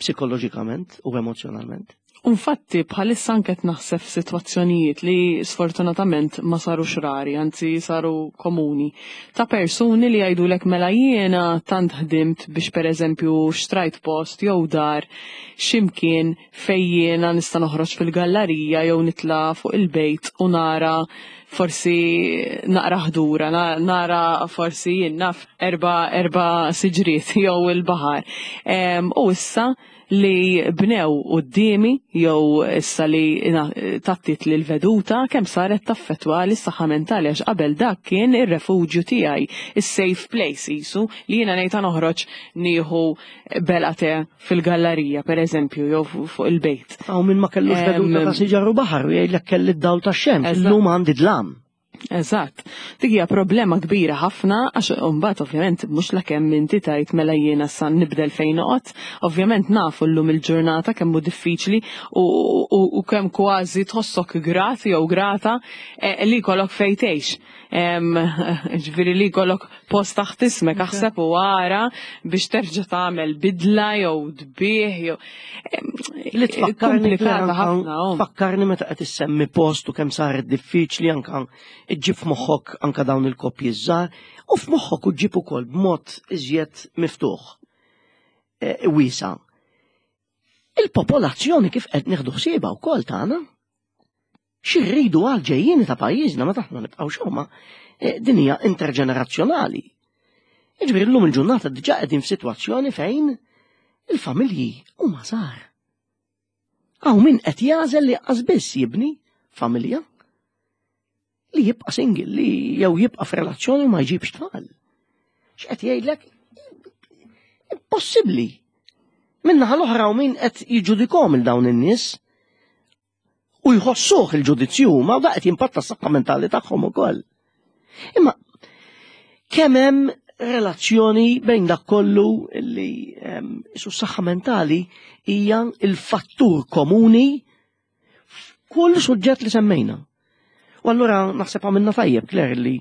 psikoloġikament u emozjonalment. Infatti, bħalissa anke naħseb f'sitwazzjonijiet li sfortunatament ma sarux rari, anzi saru komuni, ta' persuni li jgħidulek mela jiena tant ħdimt biex pereżempju xtrajt post jew dar x'imkien fejn jiena nista' noħroġ fil-gallerija jew nitla' fuq il-bejt u nara forsi naqra ħdura, nara forsi jien naf erba' erba' siġriet jew il-baħar. U issa li bnew quddiemi jew issa li tattit li l-veduta kemm saret taffettwa lis-saħħa mentali għax qabel dak kien ir-refuġju tiegħi, is-safe place isu li jiena ngħid noħroġ nieħu belgħa te fil-gallerija pereżempju jew fuq il-bejt. Hawn min ma kellux veduta ta' siġar u baħar u jgħidlek kelli d-dawl tax-xemx, illum għandi dlam. Eżatt. Dik hija problema kbira ħafna għax imbagħad ovvjament mhux lakemm inti tajt mela jiena sa nibdel fejn noqgħod, ovvjament nafu llum il-ġurnata kemm hu diffiċli u, u, u kemm kważi tħossok grat jew grata eh, li jkollok fejn tgħix. Ġifieri li jkollok post taħt ismek aħseb u ara biex terġa' tagħmel bidla jew tbigħ jew Li tfakkarni komplikata ħafna. oh. Fakkarni meta qed issemmi post u kemm saret diffiċli anka iġġib f'moħħok anka dawn il-koppji żgħar u f'moħħok u ġġib ukoll b'mod iżjed miftuħ e, wiesa. Il-popolazzjoni kif qed nieħdu ħsiebha wkoll tagħna. Xi rridu għal ġejjieni ta' pajjiżna meta aħna nibqgħu xorma, e, din hija interġenerazzjonali. Jiġifieri llum il-ġurnata diġà qegħdin f'sitwazzjoni fejn il-familji huma żgħar. Hawn min qed jagħżel li qas biss jibni familja li jibqa' single, li jew jibqa' f'relazzjoni u ma jġibx tfal. X'qed jgħidlek? Impossibbli. Min-naħa l-oħra u min qed jiġġudikhom il dawn in-nies u jħossuh il-ġudizzju ma da qed jimpatta s-saħħa mentali tagħhom ukoll. Imma kemm hemm relazzjoni bejn dak kollu li su s-saħħa mentali hija il-fattur komuni f'kull suġġett li semmejna. U allura naħseb għamilna tajjeb, Claire, li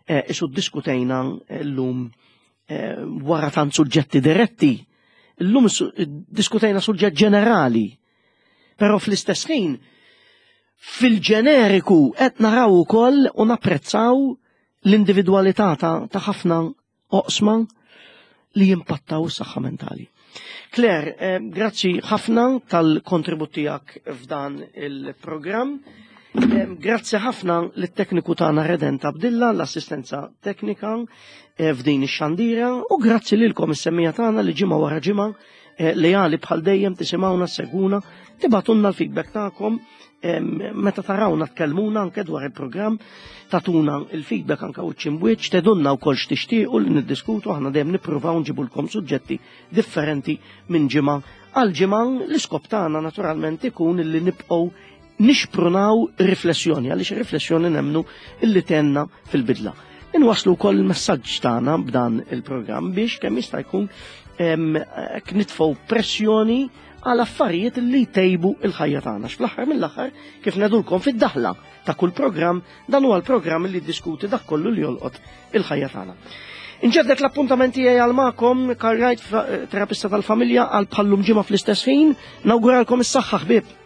eh, isu diskutejna llum eh, wara tant suġġetti diretti. Illum diskutejna suġġett ġenerali. Però fl-istess ħin fil-ġeneriku qed naraw ukoll u napprezzaw l-individwalità ta' ħafna oqsma li jimpattaw is-saħħa mentali. Claire, eh, grazzi ħafna tal-kontribut tiegħek f'dan il-programm. Eh, Grazzi ħafna lit-tekniku tagħna Redent Abdilla, l-assistenza teknika eh, f'din ix-xandira u grazzi lilkom is-semmiegħa tagħna li ġimgħa wara ġimgħa eh, lejali bħal dejjem tisimgħuna seguna, tibagħtulna l-feedback tagħkom em, meta tarawna tkellmuna anke dwar il-programm, tagħtuna il-feedback anke wiċċ imb'wiċċ, tgħidulna wkoll x'tixtiequ li niddiskutu aħna dejjem nippruvaw nġibulkom suġġetti differenti minn ġimgħa għal ġimgħa l-iskop tagħna naturalment ikun li nibqgħu nixprunaw riflessjoni, għaliex riflessjoni nemmnu illi tgħinna fil-bidla. Inwaslu wkoll il-messaġġ tagħna b'dan il-programm biex kemm jista' jkun em, hekk nitfgħu pressjoni għal affarijiet li jtejbu il-ħajja tagħna. Fl-aħħar mill-aħħar kif ngħidulkom fid-daħla ta' kull programm, dan huwa l-programm li diskuti dak kollu li jolqot il-ħajja tagħna. Inġedded l-appuntament tiegħi għal magħkom, Karl Wright, terapista tal-familja, għal bħal-lum ġimgħa fl-istess ħin, nawguralkom is-saħħa ħbieb.